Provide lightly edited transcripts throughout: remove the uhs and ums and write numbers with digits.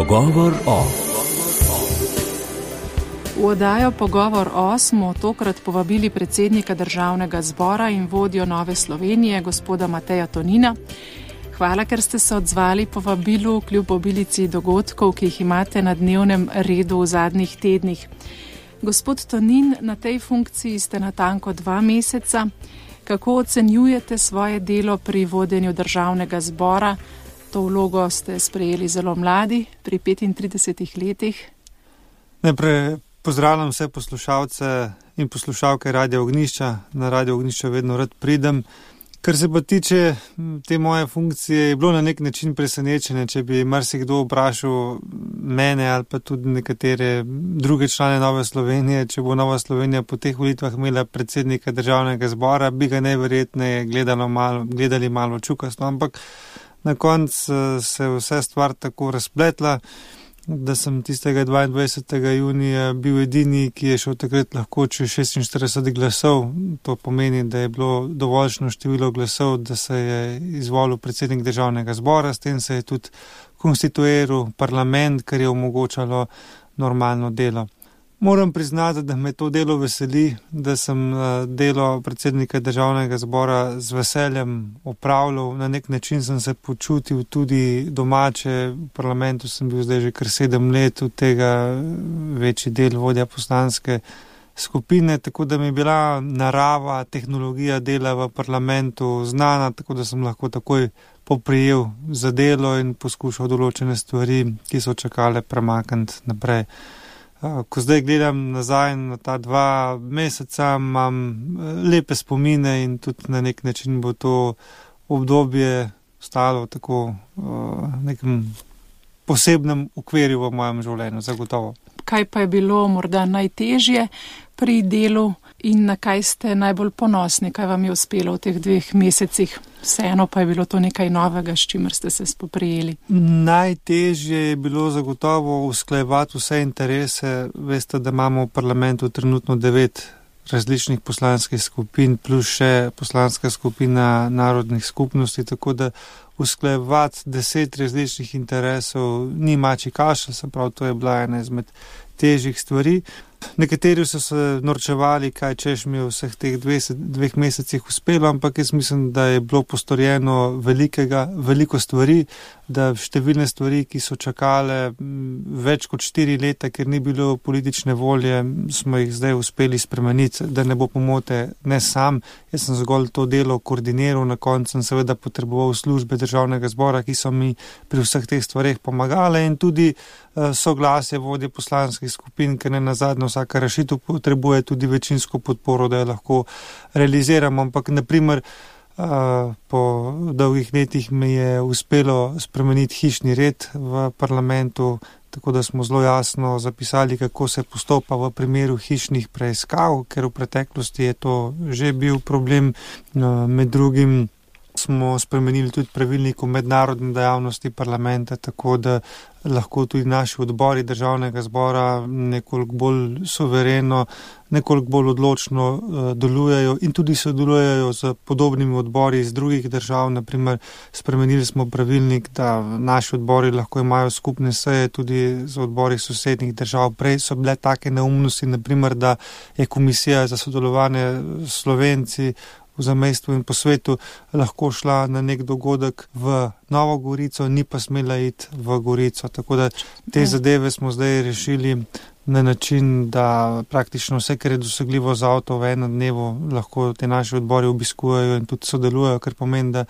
Pogovor o. V oddajo Pogovor o smo tokrat povabili predsednika Državnega zbora in vodjo Nove Slovenije, gospoda Mateja Tonina. Hvala, ker ste se odzvali povabilu kljub obilici dogodkov, ki jih imate na dnevnem redu v zadnjih tednih. Gospod Tonin, na tej funkciji ste natanko 2 meseca. Kako ocenjujete svoje delo pri vodenju Državnega zbora? To vlogo ste sprejeli zelo mladi, pri 35 letih. Najprej pozdravljam vse poslušalce in poslušalke Radia Ognjišča. Na Radio Ognjišča vedno rad pridem. Kar se pa tiče te moje funkcije, je bilo na nek način presenečenje, če bi marsikdo vprašal mene ali pa tudi nekatere druge člane Nove Slovenije, če bo Nova Slovenija po teh volitvah imela predsednika Državnega zbora, bi ga najverjetneje gledali malo čukasto, ampak na koncu se vse stvar tako razpletla, da sem tistega 22. junija bil edini, ki je šel takrat lahko čez 46 glasov. To pomeni, da je bilo dovoljšno število glasov, da se je izvolil predsednik Državnega zbora, s tem se je tudi konstituiral parlament, kar je omogočalo normalno delo. Moram priznati, da me to delo veseli, da sem delo predsednika Državnega zbora z veseljem opravljal. Na nek način sem se počutil tudi domače. V parlamentu sem bil zdaj že kar 7 let, od tega večji del vodja poslanske skupine, tako da mi je bila narava, tehnologija dela v parlamentu znana, tako da sem lahko takoj poprijel za delo in poskušal določene stvari, ki so čakale, premakniti naprej. Ko zdaj gledam nazaj na ta 2 meseca, imam lepe spomine in tudi na nek način bo to obdobje ostalo tako v nekem posebnem okvirju v mojem življenju, zagotovo. Kaj pa je bilo morda najtežje pri delu in na kaj ste najbolj ponosni, kaj vam je uspelo v teh 2 mesecih? Vseeno pa je bilo to nekaj novega, s čimer ste se spoprijeli. Najtežje je bilo zagotovo usklajevati vse interese. Veste, da imamo v parlamentu trenutno 9 različnih poslanskih skupin, plus še poslanska skupina narodnih skupnosti, tako da usklajevati 10 različnih interesov ni mačji kašelj, se pravi, to je bila ena izmed težjih stvari. Nekateri so se norčevali, kaj češ mi v vseh teh 2 mesecih uspelo, ampak jaz mislim, da je bilo postorjeno veliko stvari, da številne stvari, ki so čakale več kot 4 leta, ker ni bilo politične volje, smo jih zdaj uspeli spremeniti, da ne bo pomote ne sam. Jaz sem zgolj to delo koordiniral, na koncu sem seveda potreboval službe Državnega zbora, ki so mi pri vseh teh stvareh pomagale in tudi soglasje vodje poslanskih skupin, ker ne nazadnje vsaka rešitev potrebuje tudi večinsko podporo, da jo lahko realiziramo. Ampak naprimer po dolgih letih mi je uspelo spremeniti hišni red v parlamentu, tako da smo zelo jasno zapisali, kako se postopa v primeru hišnih preiskav, ker v preteklosti je to že bil problem. Med drugim smo spremenili tudi pravilnik o mednarodni dejavnosti parlamenta, tako da lahko tudi naši odbori Državnega zbora nekoliko bolj suvereno, nekoliko bolj odločno delujejo in tudi sodelujejo z podobnimi odbori iz drugih držav. Naprimer, spremenili smo pravilnik, da naši odbori lahko imajo skupne seje tudi z odbori sosednjih držav. Prej so bile take neumnosti, naprimer, da je Komisija za sodelovanje s Slovenci v zamejstvu in po svetu lahko šla na nek dogodek v Novo Gorico, ni pa smela iti v Gorico. Tako da te zadeve smo zdaj rešili na način, da praktično vse, kar je dosegljivo z avto v enem dnevu, lahko te naši odbori obiskujejo in tudi sodelujejo, kar pomeni, da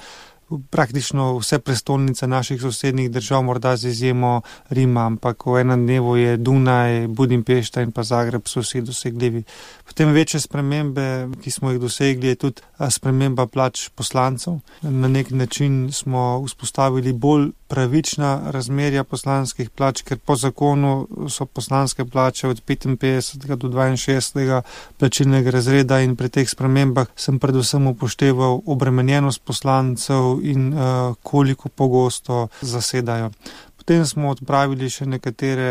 praktično vse prestolnice naših sosednjih držav, morda z izjemo Rima, ampak v enem dnevu je Dunaj, Budimpešta in pa Zagreb so vsi dosegljivi. Potem večje spremembe, ki smo jih dosegli, je tudi sprememba plač poslancev. Na nek način smo vzpostavili bolj pravična razmerja poslanskih plač, ker po zakonu so poslanske plače od 55. do 62. plačilnega razreda in pri teh spremembah sem predvsem upošteval obremenjenost poslancev in koliko pogosto zasedajo. Potem smo odpravili še nekatere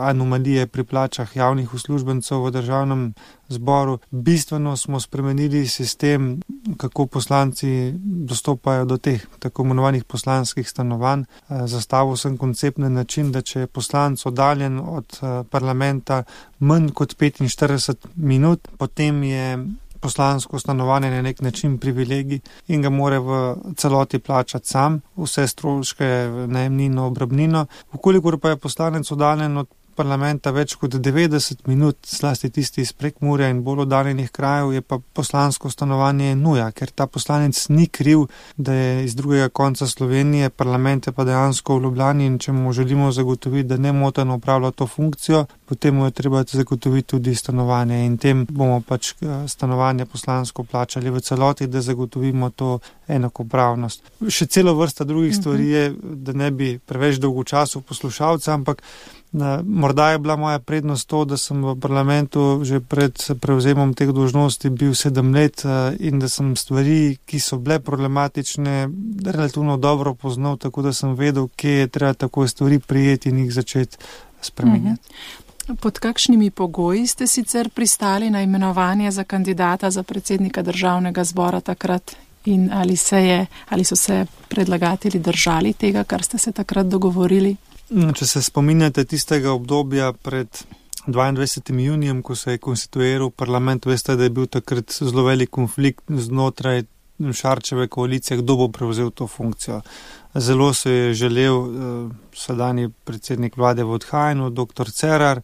anomalije pri plačah javnih uslužbencev v državnem zboru. Bistveno smo spremenili sistem, kako poslanci dostopajo do teh tako imenovanih poslanskih stanovanj. Zastavil sem koncept na način, da če je poslanec oddaljen od parlamenta manj kot 45 minut, potem je poslansko stanovanje na nek način privilegij in ga mora v celoti plačati sam, vse stroške, najemnino, obrabnino. Vkolikor pa je poslanec oddaljen od parlamenta več kot 90 minut, zlasti tisti iz Prekmurja in bolj oddaljenih krajev, je pa poslansko stanovanje nuja, ker ta poslanec ni kriv, da je iz drugega konca Slovenije, parlament je pa dejansko v Ljubljani, in če mu želimo zagotoviti, da nemoteno opravlja to funkcijo, potem mu je treba zagotoviti tudi stanovanje, in tem bomo pač stanovanje poslansko plačali v celoti, da zagotovimo to enakopravnost. Še celo vrsta drugih stvari je, da ne bi preveč dolgo času poslušalca, ampak morda je bila moja prednost to, da sem v parlamentu že pred prevzemom teh dolžnosti bil 7 let in da sem stvari, ki so bile problematične, relativno dobro poznal, tako da sem vedel, kje je treba tako stvari prijeti in jih začeti spremenjati. Pod kakšnimi pogoji ste sicer pristali na imenovanje za kandidata za predsednika državnega zbora takrat in ali so se predlagatelji držali tega, kar ste se takrat dogovorili? Če se spominjate tistega obdobja pred 22. junijem, ko se je konstituiral parlament, veste, da je bil takrat zelo velik konflikt znotraj Šarčeve koalicije, kdo bo prevzel to funkcijo. Zelo se je želel sedanji predsednik vlade v odhajanju, dr. Cerar,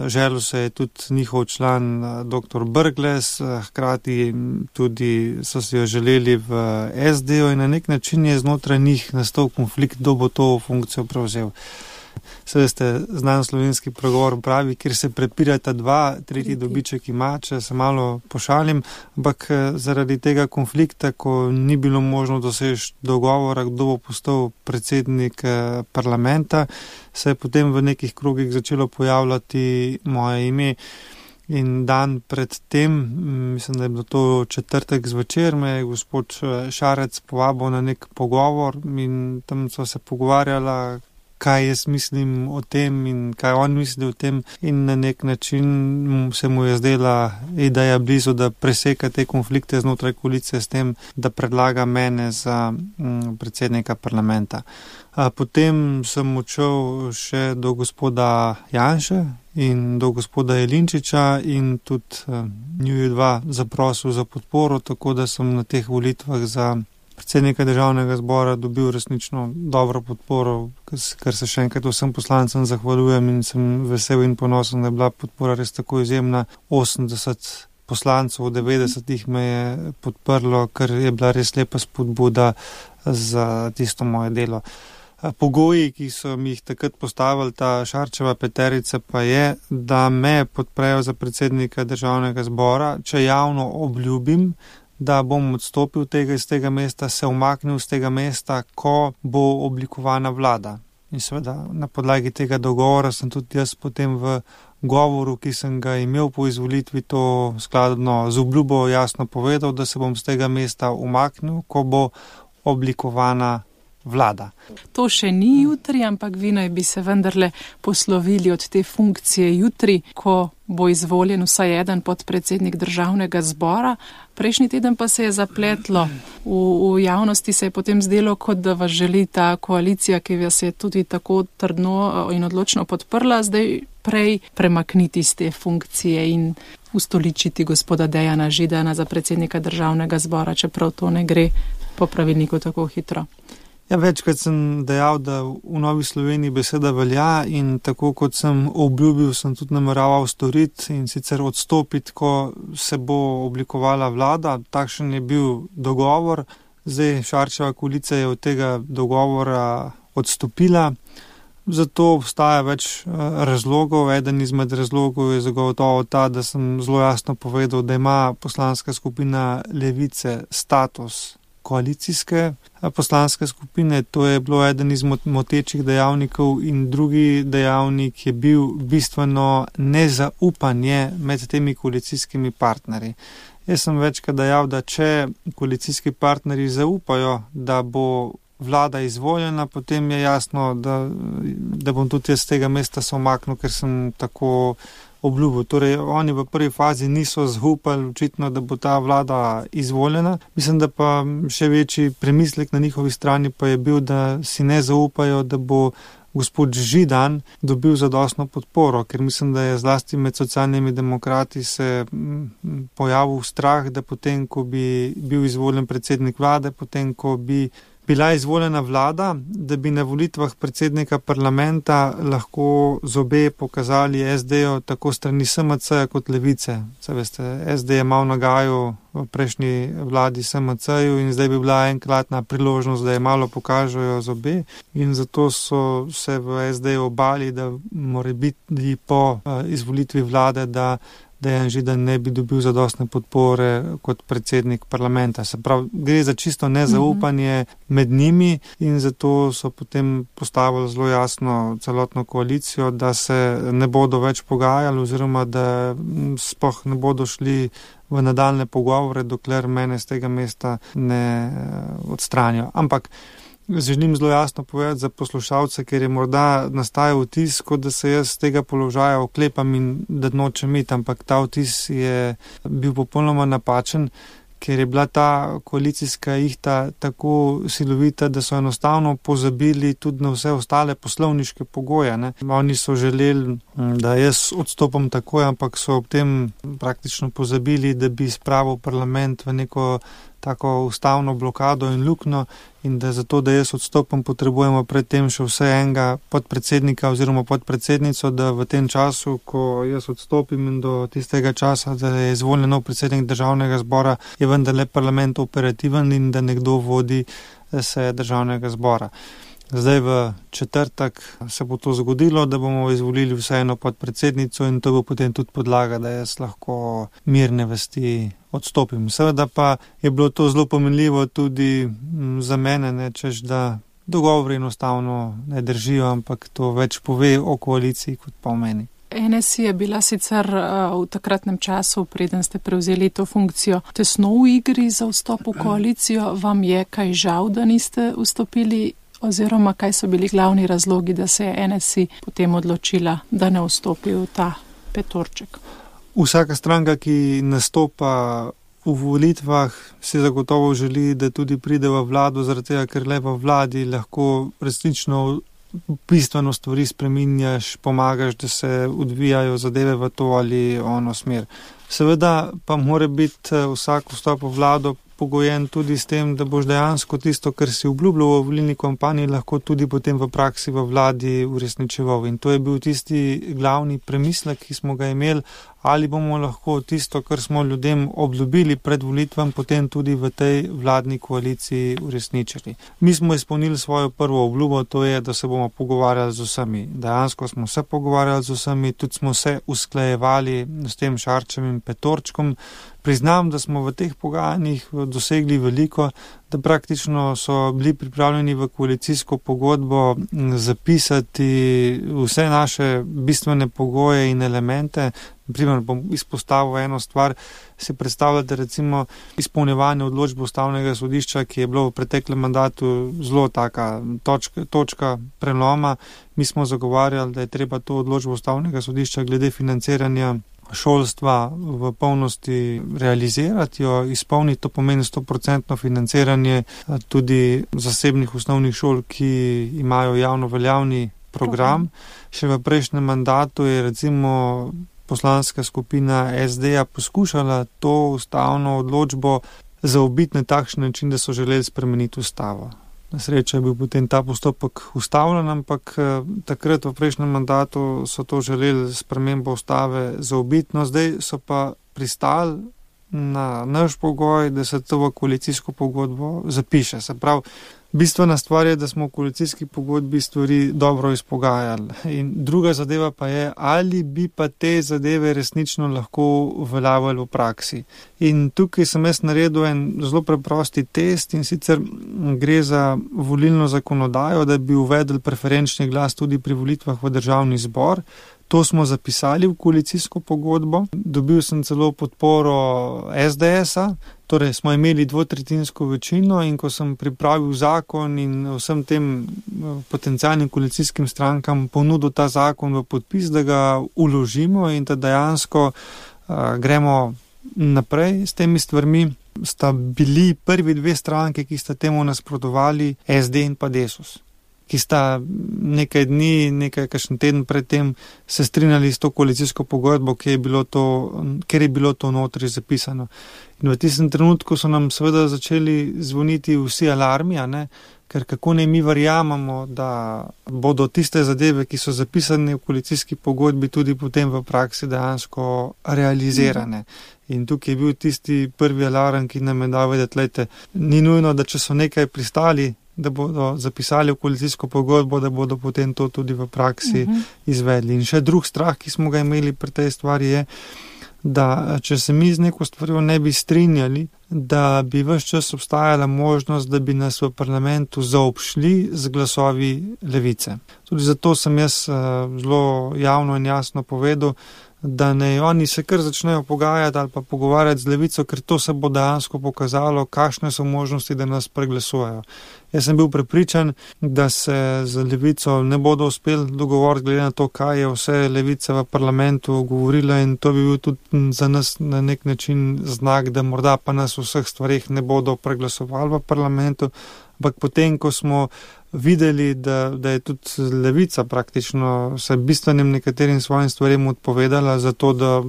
želel se je tudi njihov član dr. Brglez, hkrati tudi so si jo želeli v SD-ju in na nek način je znotraj njih nastal konflikt, kdo bo to funkcijo prevzel. Seveda ste znan slovenski pregovor pravi, kjer se prepirata dva, tretji dobiček ima, če se malo pošalim, ampak zaradi tega konflikta, ko ni bilo možno doseči dogovora, kdo bo postal predsednik parlamenta, se je potem v nekih krogih začelo pojavljati moje ime. In dan pred tem, mislim, da je bilo to četrtek zvečer, me je gospod Šarec povabil na nek pogovor in tam so se pogovarjala, kaj jaz mislim o tem in kaj on misli o tem, in na nek način se mu je zdela ideja blizu, da preseka te konflikte znotraj koalicije s tem, da predlaga mene za predsednika parlamenta. Potem sem odšel še do gospoda Janše in do gospoda Jelinčiča in tudi njuju dva zaprosil za podporo, tako da sem na teh volitvah za predsednika državnega zbora dobil resnično dobro podporo, kar se še enkrat vsem poslancem zahvaljujem in sem vesel in ponosen, da je bila podpora res tako izjemna. 80 poslancev, 90 me je podprlo, kar je bila res lepa spodbuda za tisto moje delo. Pogoji, ki so mi jih takrat postavili ta Šarčeva peterica, pa je, da me podprejo za predsednika državnega zbora, če javno obljubim, da bom odstopil iz tega mesta, se umaknil z tega mesta, ko bo oblikovana vlada. In seveda na podlagi tega dogovora sem tudi jaz potem v govoru, ki sem ga imel po izvolitvi, to skladno z obljubo jasno povedal, da se bom z tega mesta umaknil, ko bo oblikovana vlada. To še ni jutri, ampak vi naj bi se vendarle poslovili od te funkcije jutri, ko bo izvoljen vsaj eden podpredsednik državnega zbora. Prejšnji teden pa se je zapletlo. V javnosti se je potem zdelo, kot da vas želi ta koalicija, ki vas je tudi tako trdno in odločno podprla, zdaj prej premakniti z te funkcije in ustoličiti gospoda Dejana Židana za predsednika državnega zbora, čeprav to ne gre po pravilniku tako hitro. Ja, večkrat sem dejal, da v Novi Sloveniji beseda velja in tako kot sem obljubil, sem tudi nameraval storiti in sicer odstopiti, ko se bo oblikovala vlada. Takšen je bil dogovor. Zdaj Šarčeva koalicija je od tega dogovora odstopila. Zato obstaja več razlogov. Eden izmed razlogov je zagotovo ta, da sem zelo jasno povedal, da ima poslanska skupina Levice status koalicijske poslanske skupine. To je bilo eden izmed motečih dejavnikov in drugi dejavnik je bil bistveno nezaupanje med temi koalicijskimi partnerji. Jaz sem večkrat dejal, da če koalicijski partnerji zaupajo, da bo vlada izvoljena, potem je jasno, da bom tudi jaz z tega mesta se umaknil, ker sem tako obljubil. Torej, oni v prvi fazi niso zaupali očitno, da bo ta vlada izvoljena. Mislim, da pa še večji premislek na njihovi strani pa je bil, da si ne zaupajo, da bo gospod Židan dobil zadostno podporo, ker mislim, da je zlasti med socialnimi demokrati se pojavil strah, da potem, ko bi bil izvoljen predsednik vlade, potem, ko bi bila izvoljena vlada, da bi na volitvah predsednika parlamenta lahko zobe pokazali SD-jo tako strani SMC kot Levice. Se veste, SD je malo nagajal v prejšnji vladi SMC-ju in zdaj bi bila enkratna priložnost, da je malo pokažejo zobe in zato so se v SD-ju obali, da mora biti po izvolitvi vlade, da Dejan Židan ne bi dobil zadostne podpore kot predsednik parlamenta. Se pravi, gre za čisto nezaupanje med njimi in zato so potem postavili zelo jasno celotno koalicijo, da se ne bodo več pogajali oziroma da sploh ne bodo šli v nadaljne pogovore, dokler mene z tega mesta ne odstranijo. Ampak želim zelo jasno povedati za poslušalce, ker je morda nastajal vtis, kot da se jaz z tega položaja oklepam in da nočem iti, ampak ta vtis je bil popolnoma napačen, ker je bila ta koalicijska ihta tako silovita, da so enostavno pozabili tudi na vse ostale poslovniške pogoje. Ne. Oni so želeli, da jaz odstopam takoj, ampak so ob tem praktično pozabili, da bi spravil parlament v neko tako ustavno blokado in luknjo in da zato, da jaz odstopam, potrebujemo predtem še vse enega podpredsednika oziroma podpredsednico, da v tem času, ko jaz odstopim in do tistega časa, da je izvoljen nov predsednik državnega zbora, je vendarle parlament operativen in da nekdo vodi seje državnega zbora. Zdaj v četrtek se bo to zgodilo, da bomo izvolili vseeno podpredsednico in to bo potem tudi podlaga, da jaz lahko mirne vesti odstopim. Seveda pa je bilo to zelo pomenljivo tudi za mene, ne, češ da dogovori enostavno ne držijo, ampak to več pove o koaliciji kot pa o meni. NSI je bila sicer v takratnem času, preden ste prevzeli to funkcijo, tesno v igri za vstop v koalicijo. Vam je kaj žal, da niste vstopili? Oziroma, kaj so bili glavni razlogi, da se je NSI potem odločila, da ne vstopi v ta petorček? Vsaka stranka, ki nastopa v volitvah, si zagotovo želi, da tudi pride v vlado, zaradi tega, ker le v vladi lahko resnično bistveno stvari spreminjaš, pomagaš, da se odvijajo zadeve v to ali ono smer. Seveda pa mora biti vsak vstop v vlado pogojen tudi s tem, da boš dejansko tisto, kar si obljubljal v volilni kampanji, lahko tudi potem v praksi v vladi uresničeval. In to je bil tisti glavni premislek, ki smo ga imeli, ali bomo lahko tisto, kar smo ljudem obljubili pred volitvam, potem tudi v tej vladni koaliciji uresničili. Mi smo izpolnili svojo prvo obljubo, to je, da se bomo pogovarjali z vsemi. Dejansko smo se pogovarjali z vsemi, tudi smo se usklajevali s tem Šarčevim petorčkom. Priznam, da smo v teh pogajanjih dosegli veliko, da praktično so bili pripravljeni v koalicijsko pogodbo zapisati vse naše bistvene pogoje in elemente. Naprimer, bom izpostavil eno stvar, si predstavljate recimo izpolnjevanje odločbe Ustavnega sodišča, ki je bilo v preteklem mandatu zelo taka točka preloma. Mi smo zagovarjali, da je treba to odločbo Ustavnega sodišča glede financiranja šolstva v polnosti realizirati, jo izpolniti, to pomeni 100% financiranje tudi zasebnih osnovnih šol, ki imajo javno veljavni program. Še v prejšnjem mandatu je recimo poslanska skupina SD-ja poskušala to ustavno odločbo zaobiti na takšen način, da so želeli spremeniti ustavo. Na srečo je bil potem ta postopek ustavljen, ampak takrat v prejšnjem mandatu so to želeli spremembo ustave zaobiti, no zdaj so pa pristali na naš pogoj, da se to v koalicijsko pogodbo zapiše. Se pravi, bistvena stvar je, da smo v koalicijski pogodbi stvari dobro izpogajali. In druga zadeva pa je, ali bi pa te zadeve resnično lahko uveljavljali v praksi. In tukaj sem jaz naredil en zelo preprosti test in sicer gre za volilno zakonodajo, da bi uvedli preferenčni glas tudi pri volitvah v državni zbor. To smo zapisali v koalicijsko pogodbo. Dobil sem celo podporo SDS-a, torej smo imeli 2/3 večino in ko sem pripravil zakon in vsem tem potencialnim koalicijskim strankam ponudil ta zakon v podpis, da ga uložimo in da dejansko gremo naprej s temi stvarmi, sta bili prvi dve stranke, ki sta temu nasprotovali, SD in pa Desus, ki sta nekaj dni, kakšen teden predtem se strinjali s to koalicijsko pogodbo, ker je bilo to notri zapisano. In v tistem trenutku so nam seveda začeli zvoniti vsi alarmi, ker kako ne mi verjamemo, da bodo tiste zadeve, ki so zapisane v koalicijski pogodbi, tudi potem v praksi dejansko realizirane. In tukaj je bil tisti prvi alarm, ki nam je dal vedeti, lejte, ni nujno, da če so nekaj pristali, da bodo zapisali v koalicijsko pogodbo, da bodo potem to tudi v praksi izvedli. In še drug strah, ki smo ga imeli pri tej stvari, je, da če se mi z neko stvarjo ne bi strinjali, da bi ves čas obstajala možnost, da bi nas v parlamentu zaobšli z glasovi levice. Tudi zato sem jaz zelo javno in jasno povedal, da ne oni se kar začnejo pogajati ali pa pogovarjati z levico, ker to se bo dejansko pokazalo, kakšne so možnosti, da nas preglasujejo. Jaz sem bil prepričan, da se z levico ne bodo uspeli dogovoriti glede na to, kaj je vse levica v parlamentu govorila, in to bi bil tudi za nas na nek način znak, da morda pa nas v vseh stvarih ne bodo preglasovali v parlamentu. Ampak potem, ko smo videli, da je tudi levica praktično se bistvenim nekaterim svojim stvarem odpovedala za to, da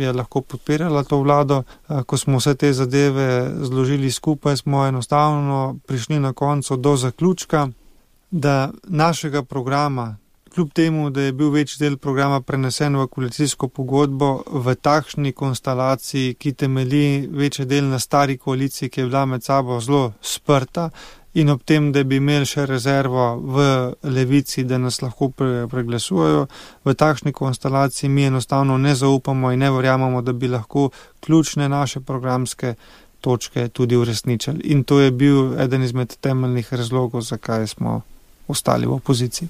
je lahko podpirala to vlado, ko smo vse te zadeve zložili skupaj, smo enostavno prišli na koncu do zaključka, da našega programa, kljub temu, da je bil večji del programa prenesen v koalicijsko pogodbo, v takšni konstelaciji, ki temelji večji del na stari koaliciji, ki je bila med sabo zelo sprta, in ob tem, da bi imeli še rezervo v levici, da nas lahko preglasujejo, v takšni konstelaciji mi enostavno ne zaupamo in ne verjamemo, da bi lahko ključne naše programske točke tudi uresničili. In to je bil eden izmed temeljnih razlogov, zakaj smo ostali v opoziciji.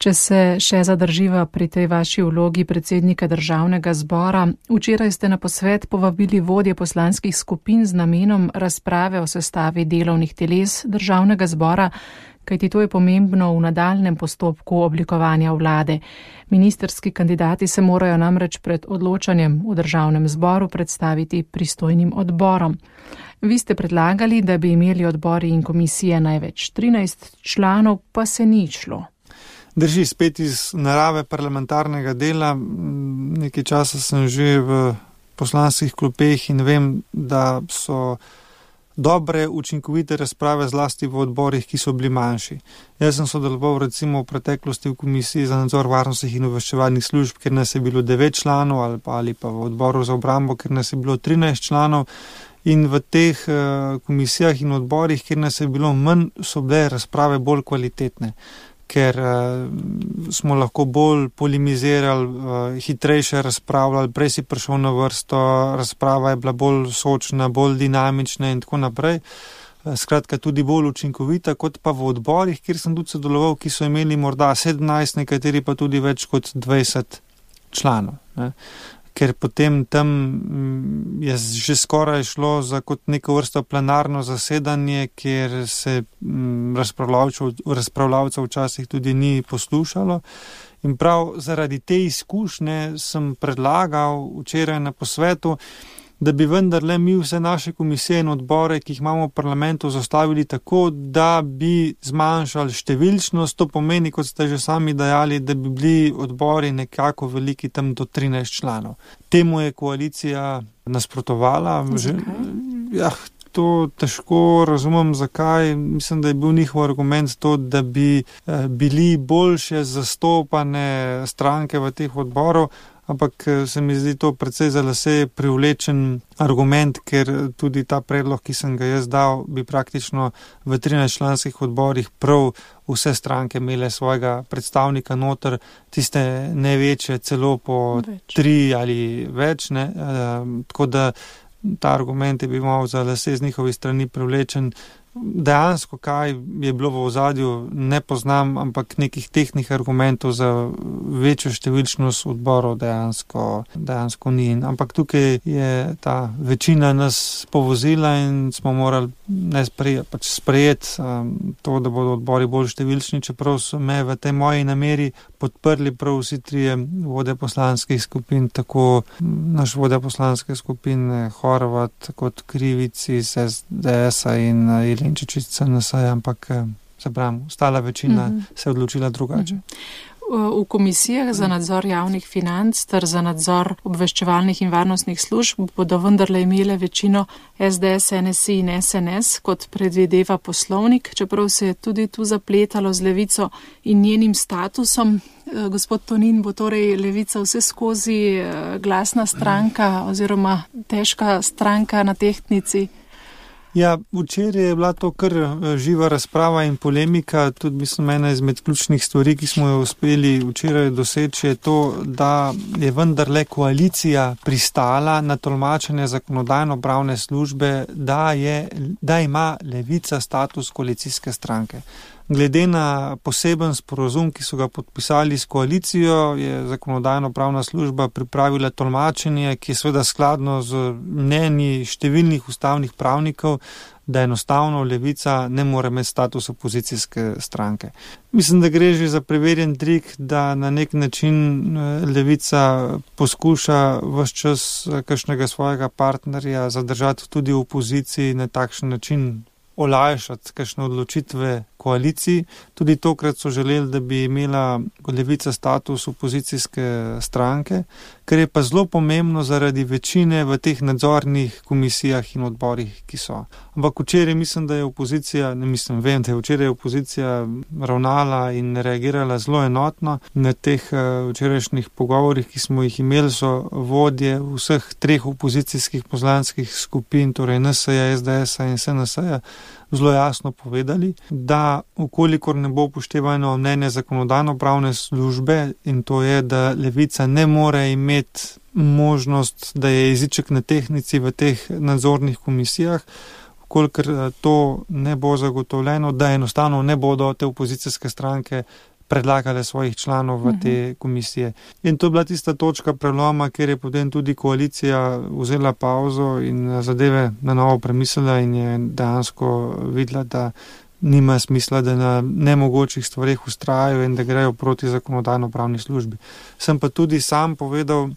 Če se še zadrživa pri tej vaši vlogi predsednika Državnega zbora, včeraj ste na posvet povabili vodje poslanskih skupin z namenom razprave o sestavi delovnih teles Državnega zbora, kajti to je pomembno v nadaljnem postopku oblikovanja vlade. Ministerski kandidati se morajo namreč pred odločanjem v Državnem zboru predstaviti pristojnim odborom. Vi ste predlagali, da bi imeli odbori in komisije največ 13 članov, pa se ni šlo. Drži, spet iz narave parlamentarnega dela. Nekaj časa sem že v poslanskih klopeh in vem, da so dobre, učinkovite razprave zlasti v odborih, ki so bili manjši. Jaz sem sodeloval recimo v preteklosti v Komisiji za nadzor varnostnih in obveščevalnih služb, kjer nas je bilo 9 članov, ali pa v odboru za obrambo, kjer nas je bilo 13 članov. In v teh komisijah in odborih, kjer nas je bilo manj, so bile razprave bolj kvalitetne, ker smo lahko bolj polemizirali, hitrejše razpravljali, prej si prišel na vrsto, razprava je bila bolj sočna, bolj dinamična in tako naprej. Skratka, tudi bolj učinkovita, kot pa v odborih, kjer sem tudi sodeloval, ki so imeli morda 17, nekateri pa tudi več kot 20 članov. Ker potem tam je že skoraj šlo za kot neko vrsto plenarno zasedanje, kjer se razpravljavcev včasih tudi ni poslušalo. In prav zaradi te izkušnje sem predlagal včeraj na posvetu, da bi vendarle mi vse naše komisije in odbore, ki jih imamo v parlamentu, zastavili tako, da bi zmanjšali številčnost. To pomeni, kot ste že sami dejali, da bi bili odbori nekako veliki, tam do 13 članov. Temu je koalicija nasprotovala. To težko razumem, zakaj. Mislim, da je bil njihov argument to, da bi bili boljše zastopane stranke v teh odborov, ampak se mi zdi to precej za lase privlečen argument, ker tudi ta predlog, ki sem ga jaz dal, bi praktično v 13 članskih odborih prav vse stranke imele svojega predstavnika noter, tiste največje celo po 3 ali več. Tako da ta argument je bil malo za lase z njihovi strani privlečen. Dejansko, kaj je bilo v ozadju, ne poznam, ampak nekih tehnih argumentov za večjo številčnost odborov dejansko ni. Ampak tukaj je ta večina nas povozila in smo morali sprejeti to, da bodo odbori bolj številčni, čeprav so me v tej moji nameri podprli prav vsi trije vodje poslanskih skupin, tako naš vodja poslanske skupine Horvat kot Krivic iz SDS-a in Jelinčič iz CNS-a, ampak se pravim, ostala večina se je odločila drugače. V komisijah za nadzor javnih financ ter za nadzor obveščevalnih in varnostnih služb bodo vendarle imele večino SDS, NSI in SNS, kot predvideva poslovnik, čeprav se je tudi tu zapletalo z Levico in njenim statusom. Gospod Tonin, bo torej Levica vse skozi glasna stranka oziroma težka stranka na tehtnici? Ja, včeraj je bila to kar živa razprava in polemika. Tudi mislim, ena izmed ključnih stvari, ki smo jo uspeli včeraj doseči, je to, da je vendarle koalicija pristala na tolmačenje zakonodajno-pravne službe, da ima Levica status koalicijske stranke. Glede na poseben sporozum, ki so ga podpisali s koalicijo, je zakonodajno-pravna služba pripravila tolmačenje, ki je seveda skladno z mnenji številnih ustavnih pravnikov, da enostavno Levica ne more imeti status opozicijske stranke. Mislim, da gre že za preverjen trik, da na nek način Levica poskuša vse čas kakšnega svojega partnerja zadržati tudi v opoziciji, na takšen način olajšati kakšne odločitve koaliciji. Tudi tokrat so želeli, da bi imela Levica status opozicijske stranke, kar je pa zelo pomembno zaradi večine v teh nadzornih komisijah in odborih, ki so. Ampak včeraj mislim, da je opozicija, vem, da je včeraj opozicija ravnala in reagirala zelo enotno. Na teh včerajšnjih pogovorih, ki smo jih imeli, so vodje vseh treh opozicijskih poslanskih skupin, torej NSI-ja, SDS-a in SNS-a, zelo jasno povedali, da ukolikor ne bo upoštevano mnenje zakonodajno-pravne službe, in to je, da Levica ne more imeti možnost, da je jeziček na tehnici v teh nadzornih komisijah, ukolikor to ne bo zagotovljeno, da enostavno ne bodo te opozicijske stranke predlagale svojih članov v te komisije. In to je bila tista točka preloma, kjer je potem tudi koalicija vzela pauzo in zadeve na novo premislila in je dejansko videla, da nima smisla, da na nemogočih stvareh vztrajajo in da grejo proti zakonodajno-pravni službi. Sem pa tudi sam povedal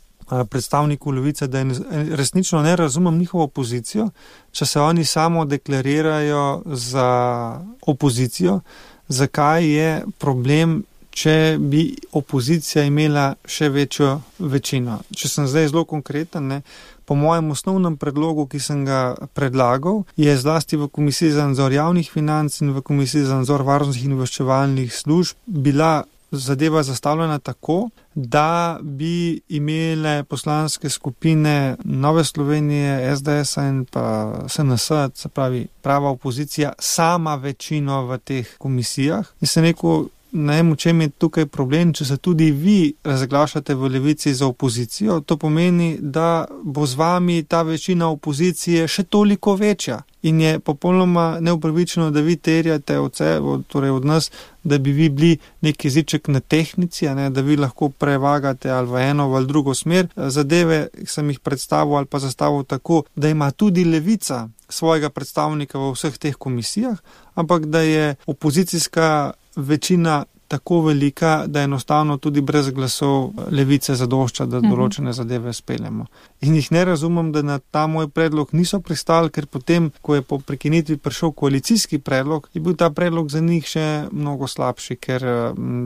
predstavniku Levice, da resnično ne razumem njihovo pozicijo, če se oni samo deklarirajo za opozicijo. Zakaj je problem, če bi opozicija imela še večjo večino? Če sem zdaj zelo konkreten, po mojem osnovnem predlogu, ki sem ga predlagal, je zlasti v Komisiji za nadzor javnih financ in v Komisiji za nadzor varnostnih in obveščevalnih služb bila zadeva zastavljena tako, da bi imele poslanske skupine Nove Slovenije, SDS-a in pa SNS, se pravi prava opozicija, sama večino v teh komisijah. In sem rekel, ne vem, v čem je tukaj problem, če se tudi vi razglašate v Levici za opozicijo, to pomeni, da bo z vami ta večina opozicije še toliko večja. In je popolnoma neupravičeno, da vi terjate od nas, da bi vi bili nek jeziček na tehnici, da vi lahko prevagate ali v eno ali drugo smer. Zadeve sem jih predstavil ali pa zastavil tako, da ima tudi Levica svojega predstavnika v vseh teh komisijah, ampak da je opozicijska večina tako velika, da enostavno tudi brez glasov Levice zadošča, da določene zadeve speljemo. In jih ne razumem, da na ta moj predlog niso pristali, ker potem, ko je po prekinitvi prišel koalicijski predlog, je bil ta predlog za njih še mnogo slabši, ker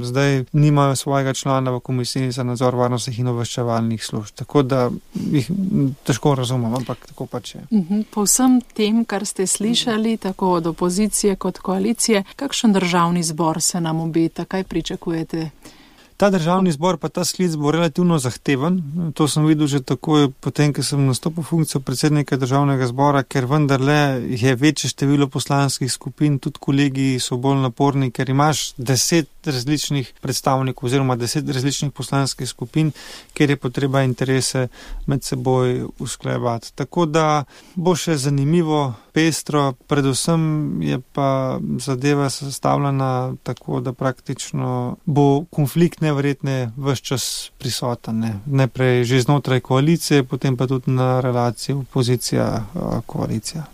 zdaj nimajo svojega člana v Komisiji za nadzor varnostnih in obveščevalnih služb. Tako da jih težko razumem, ampak tako pač je. Po vsem tem, kar ste slišali, tako od opozicije kot koalicije, kakšen državni zbor se nam obeta? Kaj pričakujete? Ta državni zbor pa ta sklic bo relativno zahteven. To sem videl že takoj potem, ko sem nastopil funkcijo predsednika državnega zbora, ker vendarle je večje število poslanskih skupin, tudi kolegi so bolj naporni, ker imaš 10 različnih predstavnikov oziroma 10 različnih poslanskih skupin, kjer je potreba interese med seboj usklajevati. Tako da bo še zanimivo pestro, predvsem je pa zadeva sestavljena tako, da praktično bo konflikt neverjetne ves čas prisoten. Najprej že znotraj koalicije, potem pa tudi na relaciji opozicija-koalicija.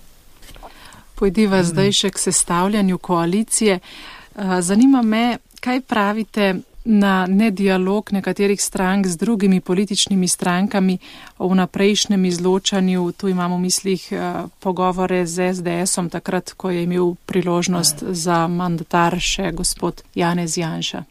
Pojdiva zdaj še k sestavljanju koalicije. Zanima me, kaj pravite na nedialog nekaterih strank z drugimi političnimi strankami o vnaprejšnjem izločanju. Tu imamo v mislih pogovore z SDS-om takrat, ko je imel priložnost za mandatar še gospod Janez Janša.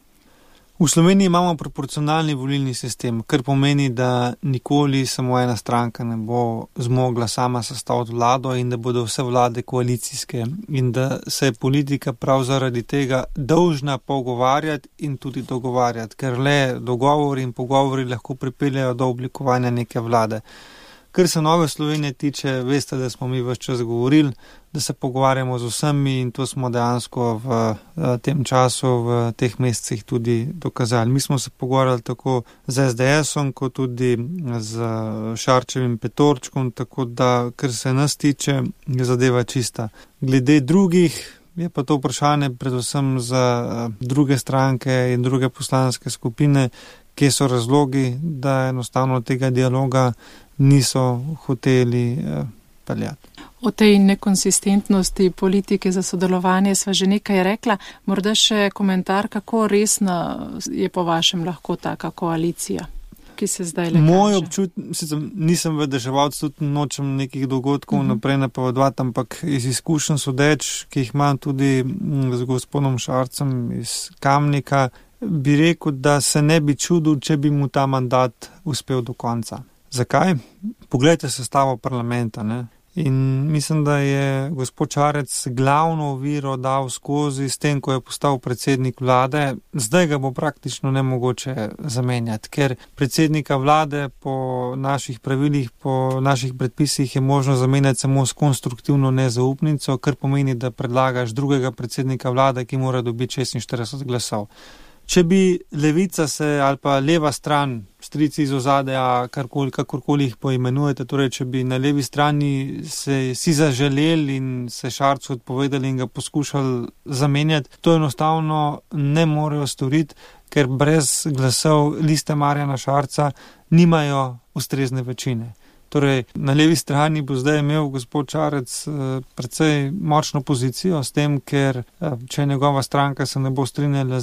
V Sloveniji imamo proporcionalni volilni sistem, kar pomeni, da nikoli samo ena stranka ne bo zmogla sama sestaviti vlado in da bodo vse vlade koalicijske in da se je politika prav zaradi tega dolžna pogovarjati in tudi dogovarjati, ker le dogovori in pogovori lahko pripeljajo do oblikovanja neke vlade. Kar se Nove Slovenije tiče, veste, da smo mi ves čas govorili, da se pogovarjamo z vsemi in to smo dejansko v tem času, v teh mesecih tudi dokazali. Mi smo se pogovarjali tako z SDS-om, kot tudi z Šarčevim Petorčkom, tako da, kar se nas tiče, je zadeva čista. Glede drugih je pa to vprašanje predvsem za druge stranke in druge poslanske skupine, kje so razlogi, da enostavno tega dialoga niso hoteli peljati. O tej nekonsistentnosti politike za sodelovanje sva že nekaj rekla. Morda še komentar, kako resna je po vašem lahko taka koalicija, ki se zdaj le kaže? Moj občutek, nisem vedeževalc, tudi nočem nekih dogodkov naprej napovedovati, ampak iz izkušenj sodeč, ki jih imam tudi z gospodom Šarcem iz Kamnika, bi rekel, da se ne bi čudil, če bi mu ta mandat uspel do konca. Zakaj? Poglejte sestavo parlamenta, ne? In mislim, da je gospod Šarec glavno oviro dal skozi s tem, ko je postal predsednik vlade. Zdaj ga bo praktično nemogoče zamenjati, ker predsednika vlade po naših pravilih, po naših predpisih je možno zamenjati samo s konstruktivno nezaupnico, kar pomeni, da predlagaš drugega predsednika vlade, ki mora dobiti 46 glasov. Če bi levica se ali pa leva stran, strici iz ozadja, kakorkoli jih poimenujete, torej če bi na levi strani si zaželeli in se Šarcu odpovedali in ga poskušali zamenjati, to enostavno ne morejo storiti, ker brez glasov Liste Marjana Šarca nimajo ustrezne večine. Torej, na levi strani bo zdaj imel gospod Šarec precej močno pozicijo s tem, ker če njegova stranka se ne bo strinjala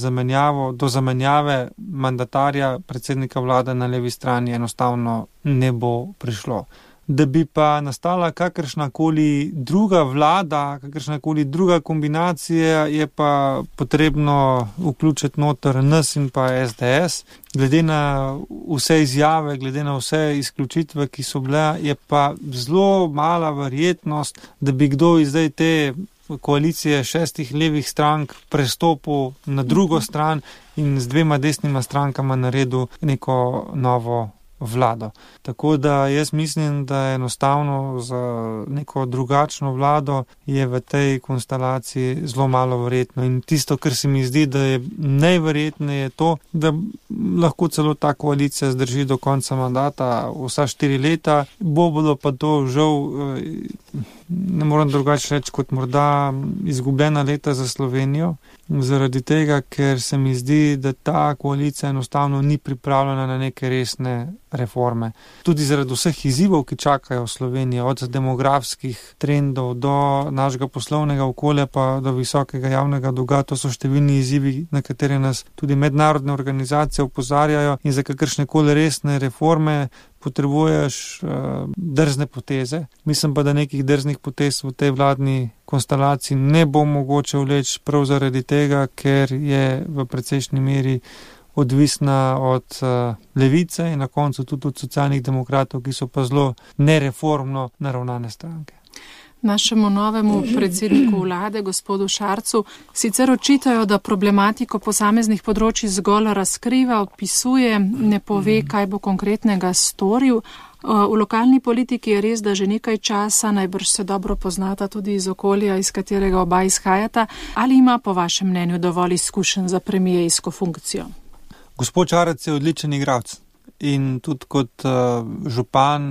do zamenjave mandatarja predsednika vlade na levi strani, enostavno ne bo prišlo. Da bi pa nastala kakršnakoli druga vlada, kakršnakoli druga kombinacija, je pa potrebno vključiti noter nas in pa SDS. Glede na vse izjave, glede na vse izključitve, ki so bile, je pa zelo mala verjetnost, da bi kdo iz zdaj te koalicije 6 levih strank prestopil na drugo stran in z 2 desnima strankama naredil neko novo vlado. Tako da jaz mislim, da enostavno za neko drugačno vlado je v tej konstelaciji zelo malo verjetno. In tisto, kar se mi zdi, da je najverjetneje to, da lahko celo ta koalicija zdrži do konca mandata vsa 4 leta, bodo pa to žal, ne moram drugače reči, kot morda izgubljena leta za Slovenijo, zaradi tega, ker se mi zdi, da ta koalicija enostavno ni pripravljena na neke resne reforme. Tudi zaradi vseh izzivov, ki čakajo Slovenijo, od demografskih trendov do našega poslovnega okolja pa do visokega javnega dolga, to so številni izzivi, na katere nas tudi mednarodne organizacije opozarjajo in za kakršnekoli resne reforme potrebuješ drzne poteze. Mislim pa, da nekih drznih potez v tej vladni konstelaciji ne bo mogoče vleči prav zaradi tega, ker je v precejšnji meri odvisna od levice in na koncu tudi od socialnih demokratov, ki so pa zelo nereformno naravnane stranke. Našemu novemu predsedniku vlade, gospodu Šarcu, sicer očitajo, da problematiko posameznih področji zgolj razkriva, opisuje, ne pove, kaj bo konkretnega storil. V lokalni politiki je res, da že nekaj časa, najbrž se dobro poznata tudi iz okolja, iz katerega oba izhajata. Ali ima po vašem mnenju dovolj izkušenj za premijejsko funkcijo? Gospod Šarec je odličen igralec. in tudi kot župan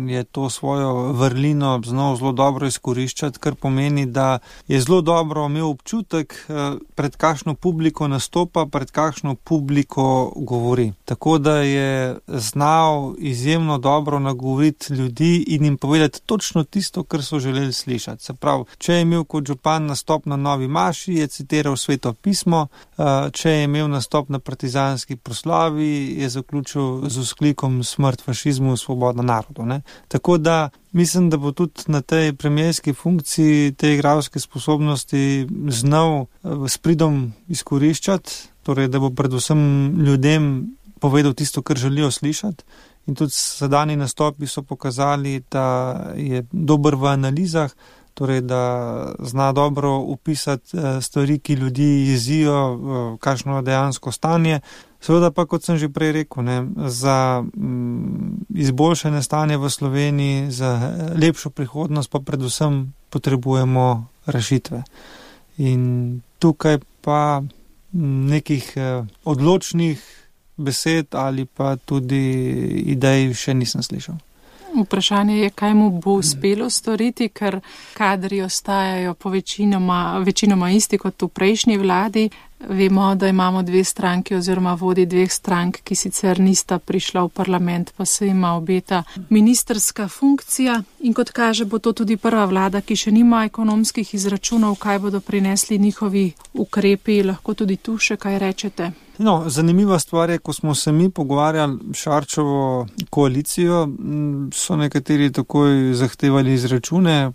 je to svojo vrlino znal zelo dobro izkoriščati, kar pomeni, da je zelo dobro imel občutek, pred kakšno publiko nastopa, pred kakšno publiko govori. Tako da je znal izjemno dobro nagovoriti ljudi in jim povedati točno tisto, kar so želeli slišati. Se pravi, če je imel kot župan nastop na Novi maši, je citiral Sveto pismo, če je imel nastop na partizanski proslavi, je zaključil z vzklikom smrt fašizmu, svoboda narodu. Ne? Tako da mislim, da bo tudi na tej premierski funkciji te igralske sposobnosti znal s pridom izkoriščati, torej da bo predvsem ljudem povedal tisto, kar želijo slišati. In tudi sedanji nastopi so pokazali, da je dober v analizah, torej da zna dobro opisati stvari, ki ljudi jezijo, kakšno je dejansko stanje. Seveda pa, kot sem že prej rekel, za izboljšanje stanja v Sloveniji, za lepšo prihodnost pa predvsem potrebujemo rešitve. In tukaj pa nekih odločnih besed ali pa tudi idej še nisem slišal. Vprašanje je, kaj mu bo uspelo storiti, ker kadri ostajajo po večinoma isti kot v prejšnji vladi. Vemo, da imamo dve stranki oziroma vodi dveh strank, ki sicer nista prišla v parlament, pa se ima obeta ministrska funkcija. In kot kaže, bo to tudi prva vlada, ki še nima ekonomskih izračunov, kaj bodo prinesli njihovi ukrepi. Lahko tudi tu še kaj rečete? No, zanimiva stvar je, ko smo se mi pogovarjali Šarčevo koalicijo, so nekateri takoj zahtevali izračune,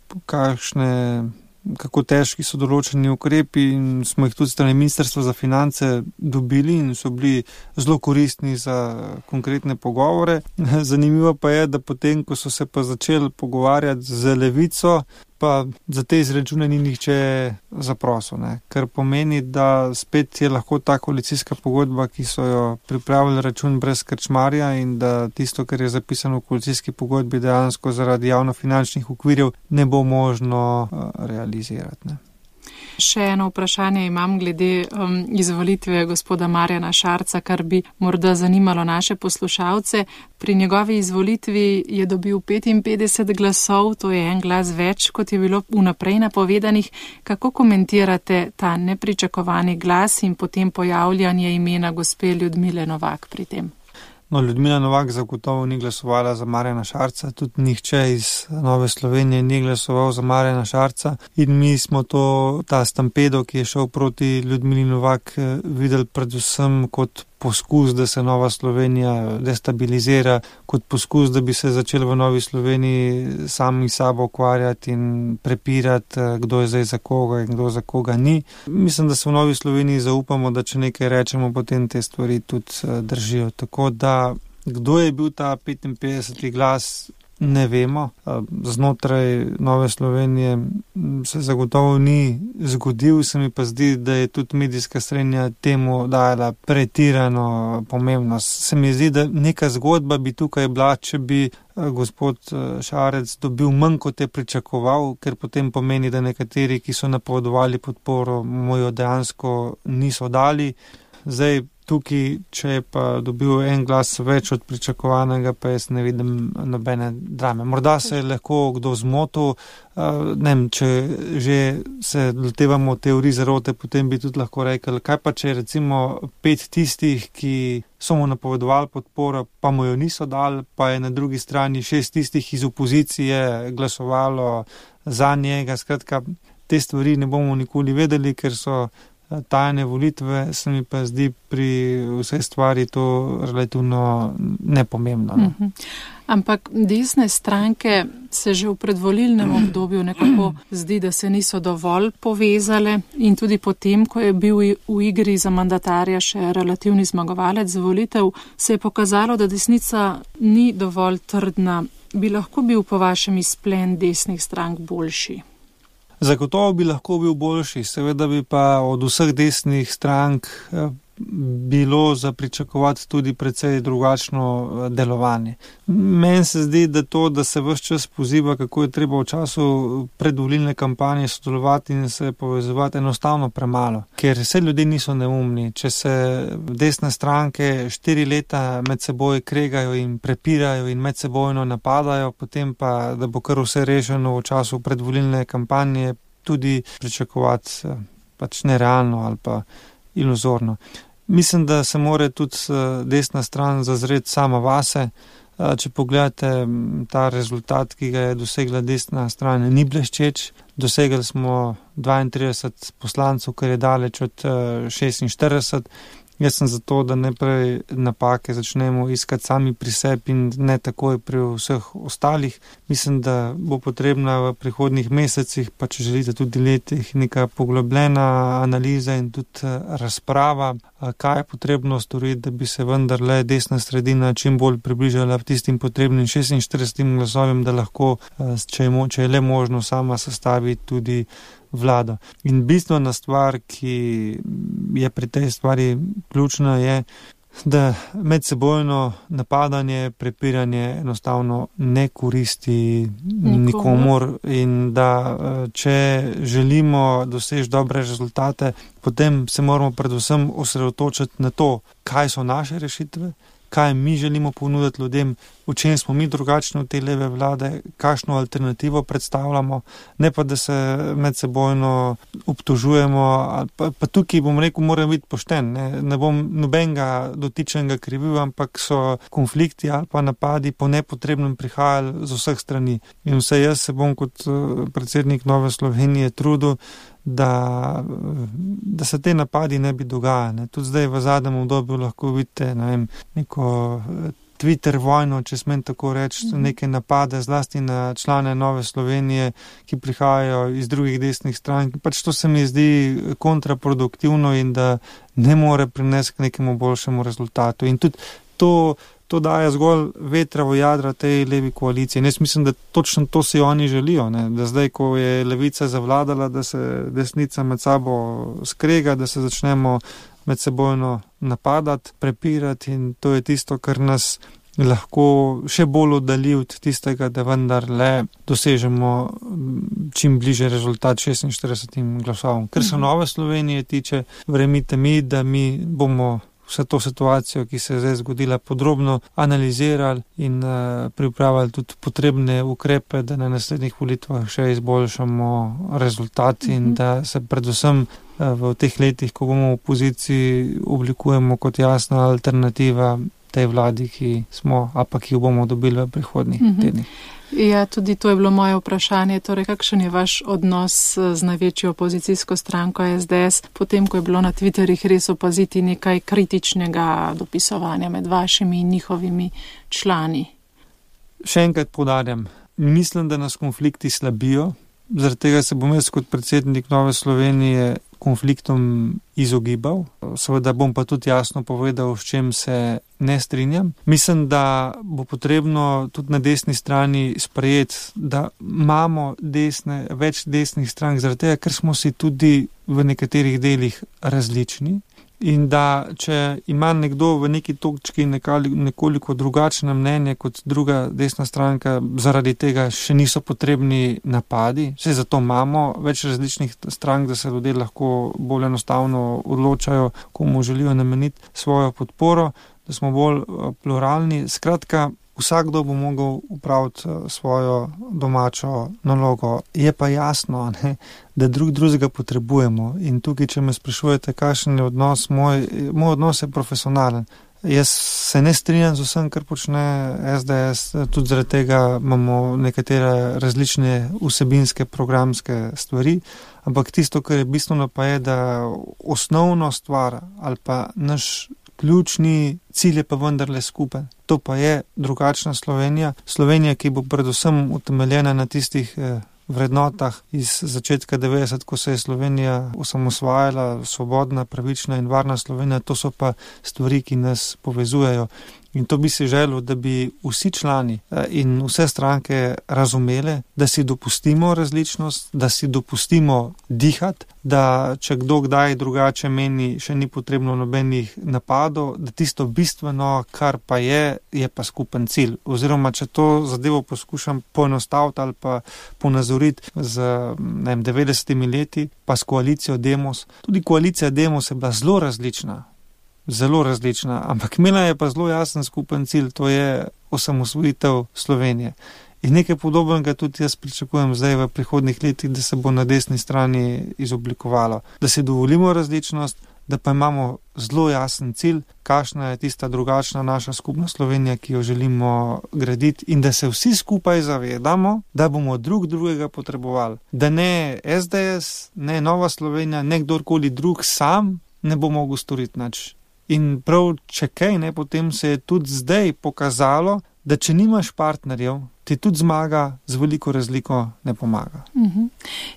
kako težki so določeni ukrepi, in smo jih tudi strani Ministrstva za finance dobili in so bili zelo koristni za konkretne pogovore. Zanimivo pa je, da potem, ko so se pa začeli pogovarjati z Levico, pa za te izračune ni nihče zaprosil, kar pomeni, da spet je lahko ta koalicijska pogodba, ki so jo pripravili račun brez krčmarja, in da tisto, kar je zapisano v koalicijski pogodbi, dejansko zaradi javnofinančnih okvirjev ne bo možno realizirati. Še eno vprašanje imam glede izvolitve gospoda Marjana Šarca, kar bi morda zanimalo naše poslušalce. Pri njegovi izvolitvi je dobil 55 glasov, to je en glas več, kot je bilo vnaprej napovedanih. Kako komentirate ta nepričakovani glas in potem pojavljanje imena gospe Ljudmile Novak pri tem? No, Ljudmila Novak zagotovo ni glasovala za Marjana Šarca, tudi nihče iz Nove Slovenije ni glasoval za Marjana Šarca, in mi smo ta stampedo, ki je šel proti Ljudmili Novak, videli predvsem kot poskus, da se Nova Slovenija destabilizira, kot poskus, da bi se začeli v Novi Sloveniji sami sabo ukvarjati in prepirati, kdo je zdaj za koga in kdo za koga ni. Mislim, da se v Novi Sloveniji zaupamo, da če nekaj rečemo, potem te stvari tudi držijo. Tako da, kdo je bil ta 55. glas, ne vemo. Znotraj Nove Slovenije se zagotovo ni zgodil, se mi pa zdi, da je tudi medijska srednja temu dajala pretirano pomembnost. Se mi zdi, da neka zgodba bi tukaj bila, če bi gospod Šarec dobil manj, kot je pričakoval, ker potem pomeni, da nekateri, ki so napovedovali podporo, mu jo dejansko niso dali. Zdaj, tukaj, če je pa dobil en glas več od pričakovanega, pa jaz ne vidim nobene drame. Morda se je lahko kdo zmotil, če že se lotevamo teorij zarote, potem bi tudi lahko rekel, kaj pa če je recimo 5 tistih, ki so mu napovedovali podporo, pa mu jo niso dali, pa je na drugi strani 6 tistih iz opozicije glasovalo za njega. Skratka, te stvari ne bomo nikoli vedeli, ker so tajne volitve, se mi pa zdi pri vsej stvari to relativno nepomembno. Ampak desne stranke se že v predvolilnem obdobju nekako zdi, da se niso dovolj povezale, in tudi potem, ko je bil v igri za mandatarja še relativni zmagovalec volitev, se je pokazalo, da desnica ni dovolj trdna. Bi lahko bil po vašem izplen desnih strank boljši? Zagotovo bi lahko bil boljši, seveda bi pa od vseh desnih strank bilo za pričakovati tudi precej drugačno delovanje. Meni se zdi, da to, da se ves čas poziva, kako je treba v času predvolilne kampanje sodelovati in se povezovati, enostavno premalo. Ker vse ljudi niso neumni. Če se desne stranke 4 leta med seboj kregajo in prepirajo in medsebojno napadajo, potem pa, da bo kar vse rešeno v času predvolilne kampanje, tudi pričakovati pač nerealno ali pa iluzorno. Mislim, da se mora tudi desna stran zazreti sama vase. Če pogledate ta rezultat, ki ga je dosegla desna stran, ni bleščeč. Dosegli smo 32 poslancev, kar je daleč od 46. Jaz sem zato, da najprej napake začnemo iskati sami pri sebi in ne takoj pri vseh ostalih. Mislim, da bo potrebna v prihodnjih mesecih, pa če želite tudi letih, neka poglobljena analiza in tudi razprava, kaj je potrebno storiti, da bi se vendarle desna sredina čim bolj približala tistim potrebnim 46 glasovim, da lahko, če je le možno, sama sestavi tudi vlado. In bistvena stvar, ki je pri tej stvari ključna, je, da medsebojno napadanje, prepiranje enostavno ne koristi nikomur in da če želimo doseči dobre rezultate, potem se moramo predvsem osredotočiti na to, kaj so naše rešitve, kaj mi želimo ponuditi ljudem, v čem smo mi drugačni od te leve vlade, kakšno alternativo predstavljamo, ne pa da se medsebojno obtožujemo. Pa tukaj bom rekel, moram biti pošten, ne bom nobenega dotičnega krivil, ampak so konflikti ali pa napadi po nepotrebnem prihajali z vseh strani. In vse jaz se bom kot predsednik Nove Slovenije trudil, da se te napadi ne bi dogajali. Tudi zdaj v zadnjem obdobju lahko vidite, neko Twitter vojno, če smem tako reči, neke napade zlasti na člane Nove Slovenije, ki prihajajo iz drugih desnih strank. Pač to se mi zdi kontraproduktivno in da ne more prinesti k nekemu boljšemu rezultatu. In tudi to daje zgolj vetra v jadra tej levi koaliciji. In jaz mislim, da točno to si oni želijo, da zdaj, ko je levica zavladala, da se desnica med sabo skrega, da se začnemo medsebojno napadati, prepirati in to je tisto, kar nas lahko še bolj oddalji od tistega, da vendarle dosežemo čim bliže rezultat 46 glasovom. Ker se Nove Slovenije tiče, verjemite mi, da mi bomo vse to situacijo, ki se je zdaj zgodila, podrobno analizirali in pripravili tudi potrebne ukrepe, da na naslednjih volitvah še izboljšamo rezultat in da se predvsem v teh letih, ko bomo v opoziciji, oblikujemo kot jasna alternativa tej vladi, ki smo, a pa ki jo bomo dobili v prihodnjih tednih. Ja, tudi to je bilo moje vprašanje. Torej, kakšen je vaš odnos z največjo opozicijsko stranko SDS, potem, ko je bilo na Twitterih res opaziti nekaj kritičnega dopisovanja med vašimi in njihovimi člani? Še enkrat poudarjam, mislim, da nas konflikti slabijo, zaradi tega se bom jaz kot predsednik Nove Slovenije konfliktom izogibal. Seveda bom pa tudi jasno povedal, s čem se ne strinjam. Mislim, da bo potrebno tudi na desni strani sprejeti, da imamo več desnih strank, zaradi tega, ker smo si tudi v nekaterih delih različni. In da, če ima nekdo v neki točki nekoliko drugačno mnenje kot druga desna stranka, zaradi tega še niso potrebni napadi. Vse zato imamo več različnih strank, da se ljudje lahko bolj enostavno odločajo, komu želijo nameniti svojo podporo, da smo bolj pluralni. Skratka, vsakdo bo mogel upraviti svojo domačo nalogo. Je pa jasno, da drugega potrebujemo. In tukaj, če me sprašujete, kakšen je odnos, moj odnos je profesionalen. Jaz se ne strinjam z vsem, kar počne SDS, tudi zaradi tega imamo nekatere različne vsebinske programske stvari, ampak tisto, kar je bistveno, pa je, da osnovno stvar ali pa naš ključni cilj je pa vendarle skupen. To pa je drugačna Slovenija. Slovenija, ki bo predvsem utemeljena na tistih vrednotah iz začetka 90, ko se je Slovenija osamosvajala, svobodna, pravična in varna Slovenija. To so pa stvari, ki nas povezujejo. In to bi si želel, da bi vsi člani in vse stranke razumeli, da si dopustimo različnost, da si dopustimo dihati, da če kdo kdaj drugače meni, še ni potrebno nobenih napadov, da tisto bistveno, kar pa je pa skupen cilj. Oziroma, če to zadevo poskušam poenostaviti ali pa ponazoriti z 90 leti, pa s koalicijo Demos. Tudi koalicija Demos je bila zelo različna, ampak imela je pa zelo jasen skupen cilj, to je osamosvojitev Slovenije. In nekaj podobnega tudi jaz pričakujem zdaj v prihodnih letih, da se bo na desni strani izoblikovalo. Da si dovolimo različnost, da pa imamo zelo jasen cilj, kakšna je tista drugačna naša skupna Slovenija, ki jo želimo graditi, in da se vsi skupaj zavedamo, da bomo drug drugega potrebovali. Da ne SDS, ne Nova Slovenija, ne kdorkoli drug sam ne bo mogel storiti nič. In prav, če kaj, potem se je tudi zdaj pokazalo, da če nimaš partnerjev, ti tudi zmaga z veliko razliko ne pomaga.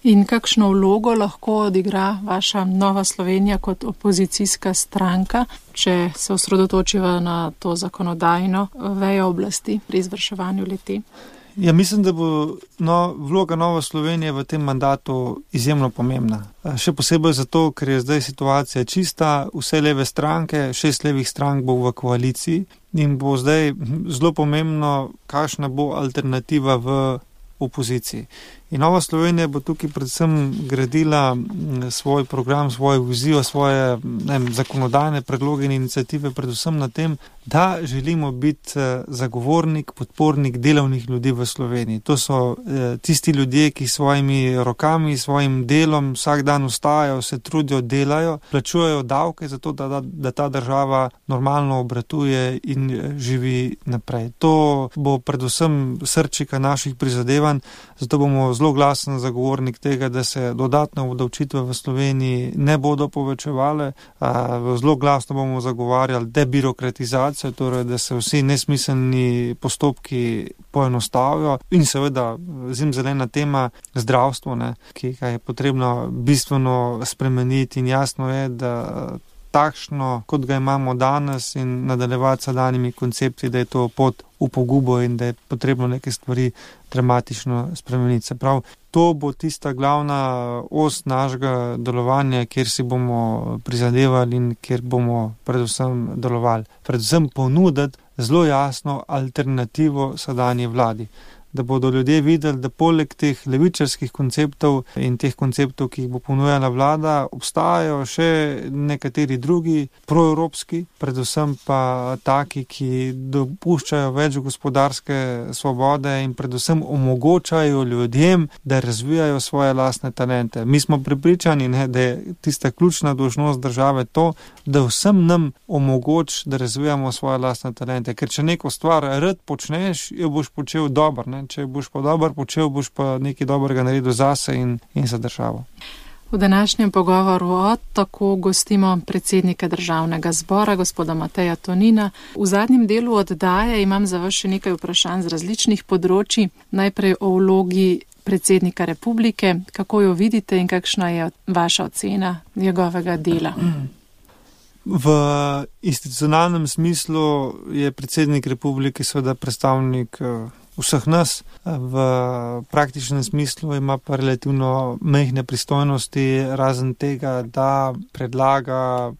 In kakšno vlogo lahko odigra vaša Nova Slovenija kot opozicijska stranka, če se osredotočiva na to zakonodajno vejo oblasti pri izvrševanju le-te? Ja, mislim, da bo vloga Nove Slovenije v tem mandatu izjemno pomembna. Še posebej zato, ker je zdaj situacija čista, vse leve stranke, 6 levih strank bo v koaliciji in bo zdaj zelo pomembno, kakšna bo alternativa v opoziciji. In Nova Slovenija bo tukaj predvsem gradila svoj program, svojo vizijo, svoje zakonodajne predloge in iniciative predvsem na tem, da želimo biti zagovornik, podpornik delovnih ljudi v Sloveniji. To so tisti ljudje, ki svojimi rokami, svojim delom vsak dan vstajajo, se trudijo, delajo, plačujejo davke za to, da ta država normalno obratuje in živi naprej. To bo predvsem srčika naših prizadevanj, zato bomo zelo glasen zagovornik tega, da se dodatne obdavčitve v Sloveniji ne bodo povečevale. Zelo glasno bomo zagovarjali debirokratizacijo, torej da se vsi nesmiselni postopki poenostavijo in seveda zimzelena tema zdravstvo, ki ga je potrebno bistveno spremeniti in jasno je, da takšno, kot ga imamo danes in nadaljevati s danimi koncepti, da je to pot v pogubo in da je potrebno neke stvari dramatično spremeniti. Se pravi, to bo tista glavna os našega delovanja, kjer si bomo prizadevali in kjer bomo predvsem delovali. Predvsem ponuditi zelo jasno alternativo sedanji vladi. Da bodo ljudje videli, da poleg teh levičarskih konceptov in teh konceptov, ki jih bo ponujala vlada, obstajajo še nekateri drugi proevropski, predvsem pa taki, ki dopuščajo več gospodarske svobode in predvsem omogočajo ljudem, da razvijajo svoje lastne talente. Mi smo prepričani, da je tista ključna dolžnost države to, da vsem nam omogoči, da razvijamo svoje lastne talente. Ker če neko stvar rad počneš, jo boš počel dobro, Če boš pa dobro počel, boš pa nekaj dobrega naredil zase in za državo. V današnjem pogovoru tako gostimo predsednika Državnega zbora, gospoda Mateja Tonina. V zadnjem delu oddaje imam za vas še nekaj vprašanj z različnih področji. Najprej o vlogi predsednika republike, kako jo vidite in kakšna je vaša ocena njegovega dela? V institucionalnem smislu je predsednik republike seveda predstavnik vseh nas, v praktičnem smislu ima pa relativno majhne pristojnosti, razen tega, da predlaga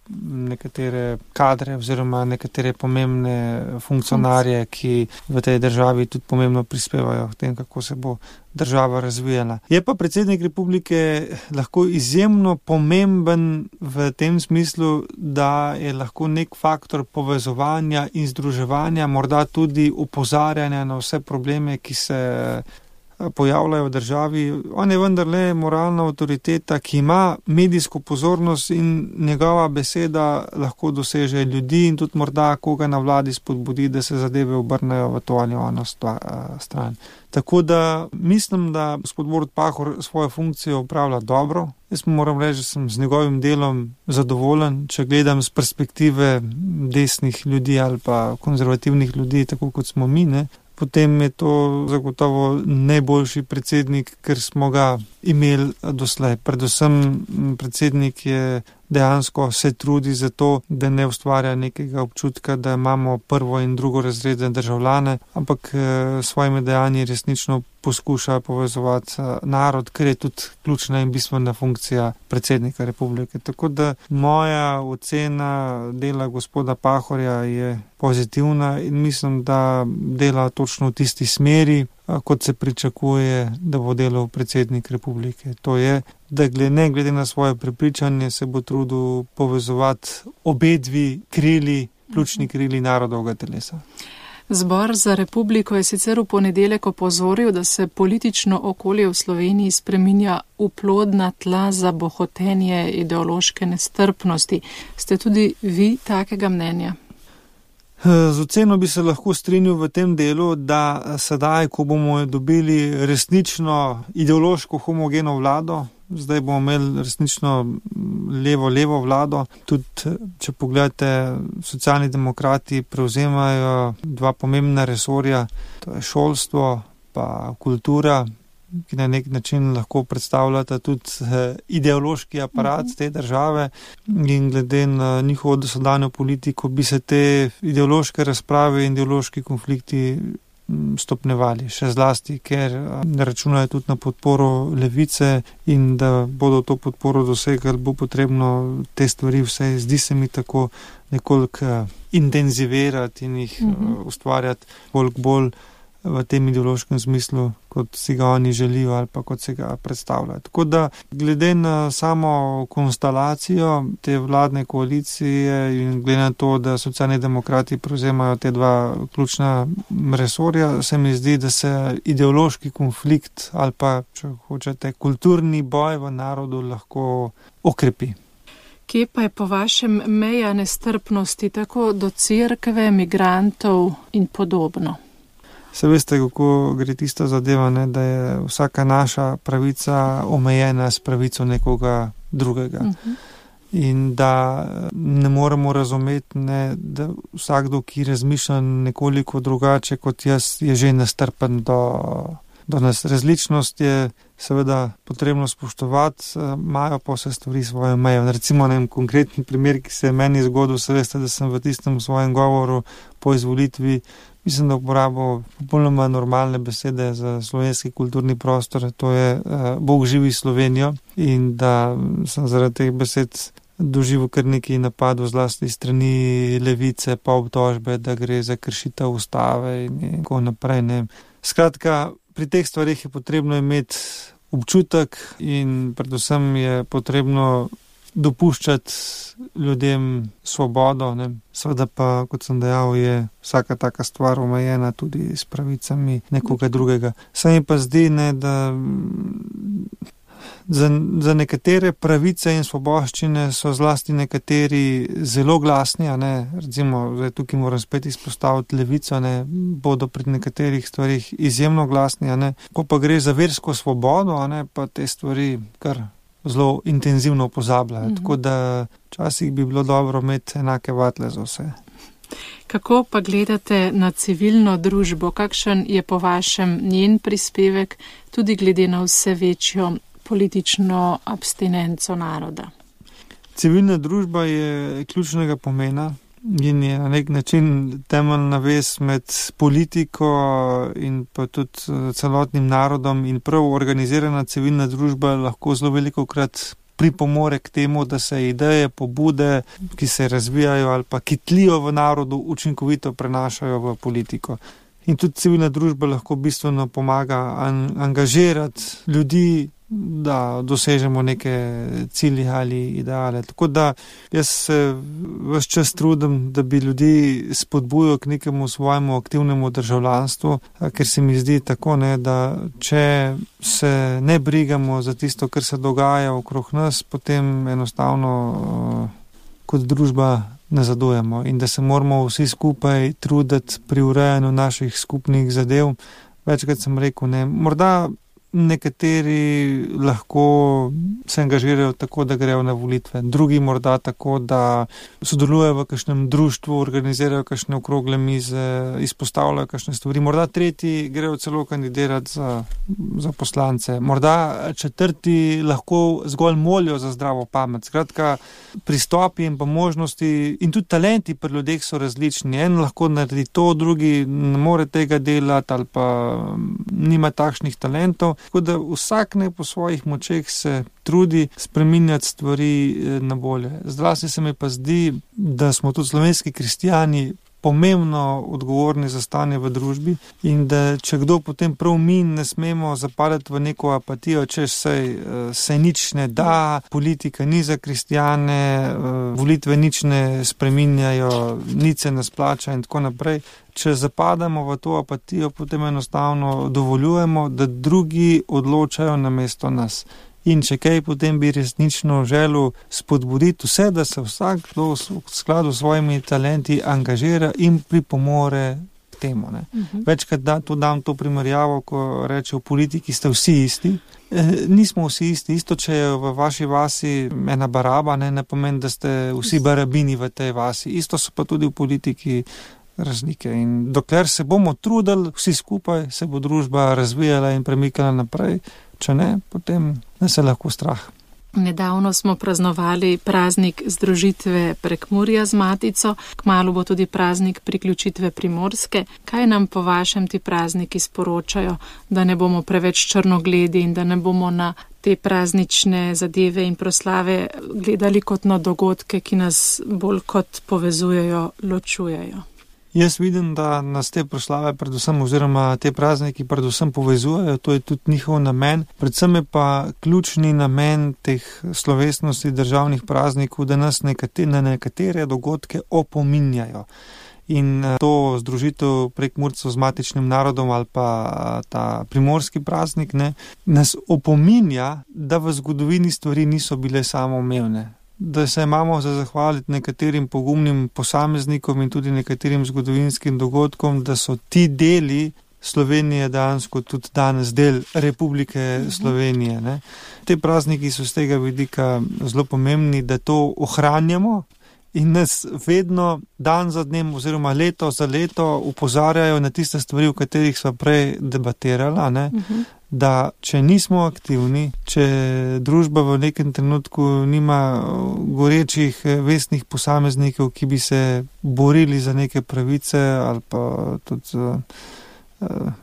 nekatere kadre oziroma nekatere pomembne funkcionarje, ki v tej državi tudi pomembno prispevajo k tem, kako se bo država razvijala. Je pa predsednik republike lahko izjemno pomemben v tem smislu, da je lahko nek faktor povezovanja in združevanja, morda tudi opozarjanja na vse probleme, ki se pojavljajo v državi. On je vendarle moralna avtoriteta, ki ima medijsko pozornost in njegova beseda lahko doseže ljudi in tudi morda koga na vladi spodbudi, da se zadeve obrnejo v to ali ono stran. Tako da mislim, da gospod Borut Pahor svojo funkcijo upravlja dobro. Jaz moram reči, da sem z njegovim delom zadovoljen, če gledam z perspektive desnih ljudi ali pa konzervativnih ljudi, tako kot smo mi, Potem je to zagotovo najboljši predsednik, ker smo ga imeli doslej. Predvsem predsednik je dejansko se trudi za to, da ne ustvarja nekega občutka, da imamo prvo in drugo razredne državljane, ampak svojimi dejanji resnično poskuša povezovati narod, ker je tudi ključna in bistvena funkcija predsednika republike. Tako da moja ocena dela gospoda Pahorja je pozitivna in mislim, da dela točno v tisti smeri, kot se pričakuje, da bo delal predsednik republike. To je, da ne glede na svoje prepričanje se bo trudil povezovati obedvi krili, ključni krili narodovega telesa. Zbor za republiko je sicer v ponedeljek opozoril, da se politično okolje v Sloveniji spreminja v plodna tla za bohotenje ideološke nestrpnosti. Ste tudi vi takega mnenja? Z oceno bi se lahko strinjal v tem delu, da sedaj, ko bomo dobili resnično ideološko homogeno vlado, zdaj bomo imeli resnično levo vlado. Tudi, če pogledate, Socialni demokrati prevzemajo dva pomembna resorja, to je šolstvo pa kultura, ki na nek način lahko predstavljata tudi ideološki aparat te države, in glede na njihovo dosedanjo politiko bi se te ideološke razprave in ideološki konflikti stopnevali, še zlasti, ker računajo tudi na podporo levice, in da bodo to podporo dosegali, bo potrebno te stvari, vse zdi se mi tako, nekoliko intenzivirati in jih ustvarjati bolj v tem ideološkem smislu, kot si ga oni želijo ali pa kot si ga predstavljajo. Tako da glede na samo konstelacijo te vladne koalicije in glede na to, da Socialni demokrati prevzemajo te dva ključna resorja, se mi zdi, da se ideološki konflikt ali pa, če hočete, kulturni boj v narodu lahko okrepi. Kje pa je po vašem meja nestrpnosti tako do cerkve, migrantov in podobno? Se veste, kako gre tista zadeva, ne, da je vsaka naša pravica omejena s pravico nekoga drugega. In da ne moremo razumeti, ne, da vsakdo, ki razmišlja nekoliko drugače kot jaz, je že nestrpen do nas. Različnost je seveda potrebno spoštovati, imajo pa vse stvari svoje meje. Recimo en konkretni primer, ki se je meni zgodil, se veste, da sem v tistem svojem govoru po izvolitvi, mislim, da uporabil popolnoma normalne besede za slovenski kulturni prostor, to je Bog živi Slovenijo, in da sem zaradi teh besed doživel kar nekaj napadov, zlasti strani levice, pa obtožbe, da gre za kršitev ustave in tako naprej. Ne. Skratka, pri teh stvarih je potrebno imeti občutek in predvsem je potrebno dopuščati ljudem svobodo, ne. Seveda pa, kot sem dejal, je vsaka taka stvar omejena tudi s pravicami nekoga drugega. Se mi pa zdi, ne, da za nekatere pravice in svoboščine so zlasti nekateri zelo glasni, a ne, recimo, zdaj tukaj moram spet izpostaviti levico, ne, bodo pri nekaterih stvarih izjemno glasni, a ne, ko pa gre za versko svobodo, a ne, pa te stvari kar zelo intenzivno pozabljajo. Tako da včasih bi bilo dobro imeti enake vatle za vse. Kako pa gledate na civilno družbo? Kakšen je po vašem njen prispevek tudi glede na vse večjo politično abstinenco naroda? Civilna družba je ključnega pomena in je na nek način temeljna vez med politiko in pa tudi celotnim narodom, in prav organizirana civilna družba lahko zelo velikokrat pripomore k temu, da se ideje, pobude, ki se razvijajo ali pa ki tlijo v narodu, učinkovito prenašajo v politiko. In tudi civilna družba lahko bistveno pomaga angažirati ljudi, da dosežemo neke cilje ali ideale. Tako da jaz se ves čas trudim, da bi ljudi spodbujal k nekemu svojemu aktivnemu državljanstvu, ker se mi zdi tako, ne, da če se ne brigamo za tisto, kar se dogaja okrog nas, potem enostavno kot družba nazadujemo in da se moramo vsi skupaj truditi pri urejanju naših skupnih zadev. Večkrat sem rekel, ne, morda nekateri lahko se angažirajo tako, da grejo na volitve, drugi morda tako, da sodelujejo v kakšnem društvu, organizirajo kakšne okrogle mize, izpostavljajo kakšne stvari, morda tretji grejo celo kandidirati za poslance, morda četrti lahko zgolj molijo za zdravo pamet. Skratka, pristopi in pa možnosti in tudi talenti pri ljudeh so različni. En lahko naredi to, drugi ne more tega delati ali pa nima takšnih talentov. Tako da vsak ne po svojih močeh se trudi spreminjati stvari na bolje. Zlasti se mi pa zdi, da smo tudi slovenski kristijani pomembno odgovorni za stanje v družbi in da če kdo potem prav mi ne smemo zapadati v neko apatijo, češ se nič ne da, politika ni za kristijane, volitve nič ne spreminjajo, nič se ne splača in tako naprej. Če zapadamo v to apatijo, potem enostavno dovoljujemo, da drugi odločajo namesto nas. In če kaj, potem bi resnično želel spodbuditi vse, da se vsak v skladu s svojimi talenti angažira in pripomore k temu. Večkrat dam to primerjavo, ko reče v politiki ste vsi isti. Nismo vsi isti. Isto, če je v vaši vasi ena baraba, ne pomeni, da ste vsi barabini v tej vasi. Isto so pa tudi v politiki razlike. In dokler se bomo trudili vsi skupaj, se bo družba razvijala in premikala naprej. Če ne, potem ne se lahko strah. Nedavno smo praznovali praznik združitve Prekmurja z Matico, kmalu bo tudi praznik priključitve Primorske. Kaj nam po vašem ti prazniki sporočajo, da ne bomo preveč črnogledi in da ne bomo na te praznične zadeve in proslave gledali kot na dogodke, ki nas bolj kot povezujejo, ločujejo? Jaz vidim, da nas te proslave predvsem oziroma te prazniki predvsem povezujejo, to je tudi njihov namen. Predvsem je pa ključni namen teh slovesnosti državnih praznikov, da nas na nekatere dogodke opominjajo. In to združitev Prekmurcev z matičnim narodom ali pa ta primorski praznik nas opominja, da v zgodovini stvari niso bile samoumevne. Da se imamo za zahvaliti nekaterim pogumnim posameznikom in tudi nekaterim zgodovinskim dogodkom, da so ti deli Slovenije dejansko tudi danes del Republike Slovenije. Ne? Te prazniki so z tega vidika zelo pomembni, da to ohranjamo in nas vedno dan za dnem oziroma leto za leto upozarjajo na tiste stvari, o katerih smo prej debatirali, ne? Da če nismo aktivni, če družba v nekem trenutku nima gorečih vestnih posameznikov, ki bi se borili za neke pravice ali pa tudi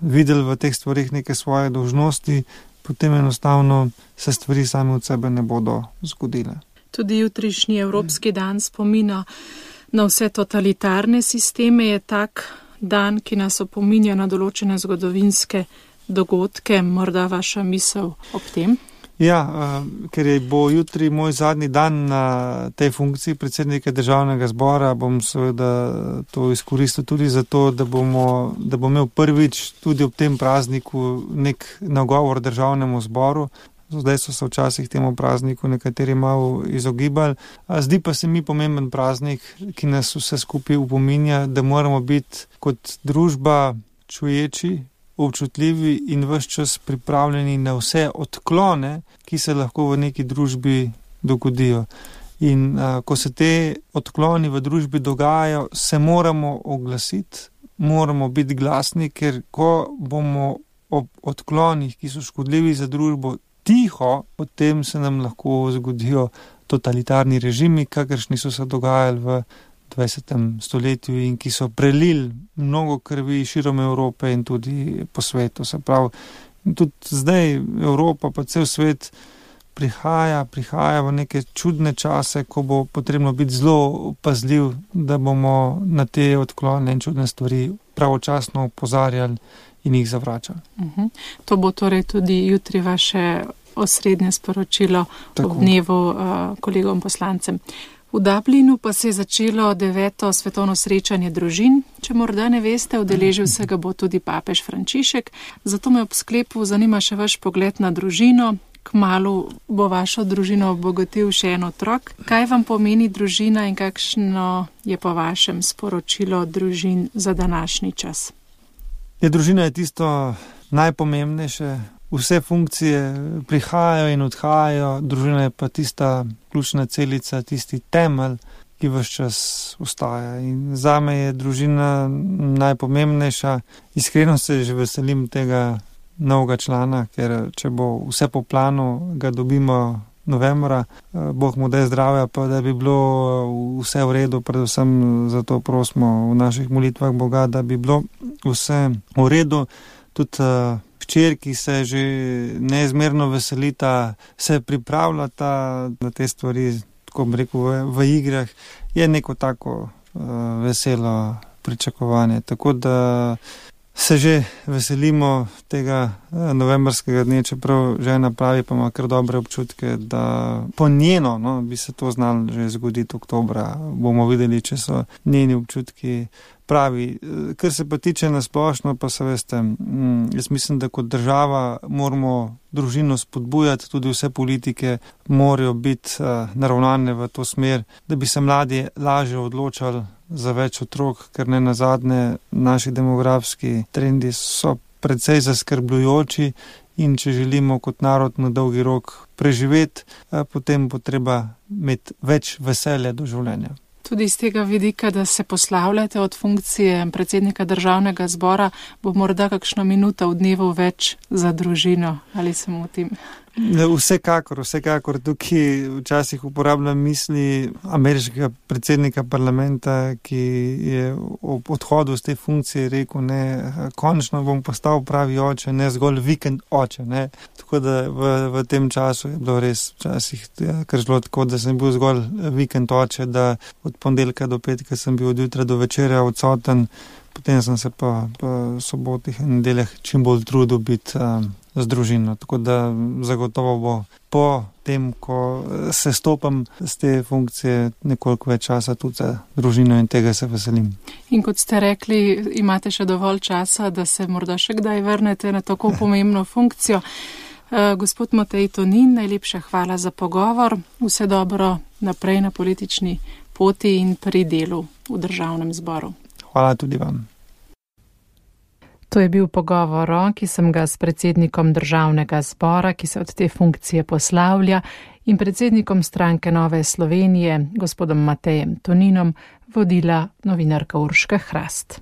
videli v teh stvarih neke svoje dolžnosti, potem enostavno se stvari same od sebe ne bodo zgodile. Tudi jutrišnji Evropski dan spomina na vse totalitarne sisteme je tak dan, ki nas opominja na določene zgodovinske dogodke, morda vaša misel ob tem? Ja, ker bo jutri moj zadnji dan na tej funkciji predsednika državnega zbora, bom seveda to izkoristil tudi zato, da bom imel prvič tudi ob tem prazniku nek nagovor državnemu zboru. Zdaj so se včasih temu prazniku nekateri malo izogibali. Zdi pa se mi pomemben praznik, ki nas vse skupaj upominja, da moramo biti kot družba čuječi, občutljivi in ves čas pripravljeni na vse odklone, ki se lahko v neki družbi dogodijo. In ko se te odkloni v družbi dogajajo, se moramo oglasiti, moramo biti glasni, ker ko bomo ob odklonih, ki so škodljivi za družbo, tiho, potem se nam lahko zgodijo totalitarni režimi, kakršni so se dogajali v 20. stoletju in ki so prelili mnogo krvi širom Evrope in tudi po svetu. Se pravi, tudi zdaj Evropa pa cel svet prihaja v neke čudne čase, ko bo potrebno biti zelo pazljiv, da bomo na te odklone in čudne stvari pravočasno opozarjali in jih zavračali. To bo torej tudi jutri vaše osrednje sporočilo ob dnevu kolegom poslancem. V Dublinu pa se je začelo 9. svetovno srečanje družin. Če morda ne veste, udeležil se ga bo tudi papež Frančišek. Zato me ob sklepu zanima še vaš pogled na družino. Kmalu bo vašo družino obogatil še en otrok. Kaj vam pomeni družina in kakšno je po vašem sporočilo družin za današnji čas? Družina je tisto najpomembnejše vse funkcije prihajajo in odhajajo, družina je pa tista ključna celica, tisti temelj, ki vse čas ostaja. In zame je družina najpomembnejša. Iskreno se že veselim tega novega člana, ker če bo vse po planu, ga dobimo novembra. Bog mu daj zdravja, pa da bi bilo vse v redu, predvsem zato prosimo v naših molitvah Boga, da bi bilo vse v redu. Tudi včer, ki se že neizmerno veselita, se pripravljata na te stvari, tako bi rekel, v igrah, je neko tako veselo pričakovanje. Tako da se že veselimo tega novembrskega dne, čeprav žena pravi, pa ima kar dobre občutke, da po njeno bi se to znalo že zgoditi oktobra. Bomo videli, če so njeni občutki pravi. Kar se pa tiče nasplošno, pa se veste, jaz mislim, da kot država moramo družino spodbujati, tudi vse politike morajo biti naravnane v to smer, da bi se mladi lažje odločali za več otrok, ker ne nazadnje naši demografski trendi so precej zaskrbljujoči in če želimo kot narod na dolgi rok preživeti, potem bo treba imeti več veselja do življenja. Tudi iz tega vidika, da se poslavljate od funkcije predsednika Državnega zbora, bo morda kakšno minuto v dnevu več za družino, ali se motim? Vsekakor. Tukaj včasih uporabljam misli ameriškega predsednika parlamenta, ki je ob odhodu z te funkcije rekel, končno bom postal pravi oče, ne zgolj vikend oče. Ne. Tako da v tem času je bilo res včasih kar zelo tako, da sem bil zgolj vikend oče, da od ponedeljka do petka sem bil od jutra do večera odsoten, potem sem se pa sobotih in nedeljah čim bolj trudil biti z družino. Tako da zagotovo bo po tem, ko se stopam z te funkcije, nekoliko več časa tudi za družino in tega se veselim. In kot ste rekli, imate še dovolj časa, da se morda še kdaj vrnete na tako pomembno funkcijo. Gospod Matej Tonin, najlepša hvala za pogovor. Vse dobro naprej na politični poti in pri delu v Državnem zboru. Hvala tudi vam. To je bil pogovor, ki sem ga s predsednikom Državnega zbora, ki se od te funkcije poslavlja, in predsednikom stranke Nove Slovenije, gospodom Matejem Toninom, vodila novinarka Urška Hrast.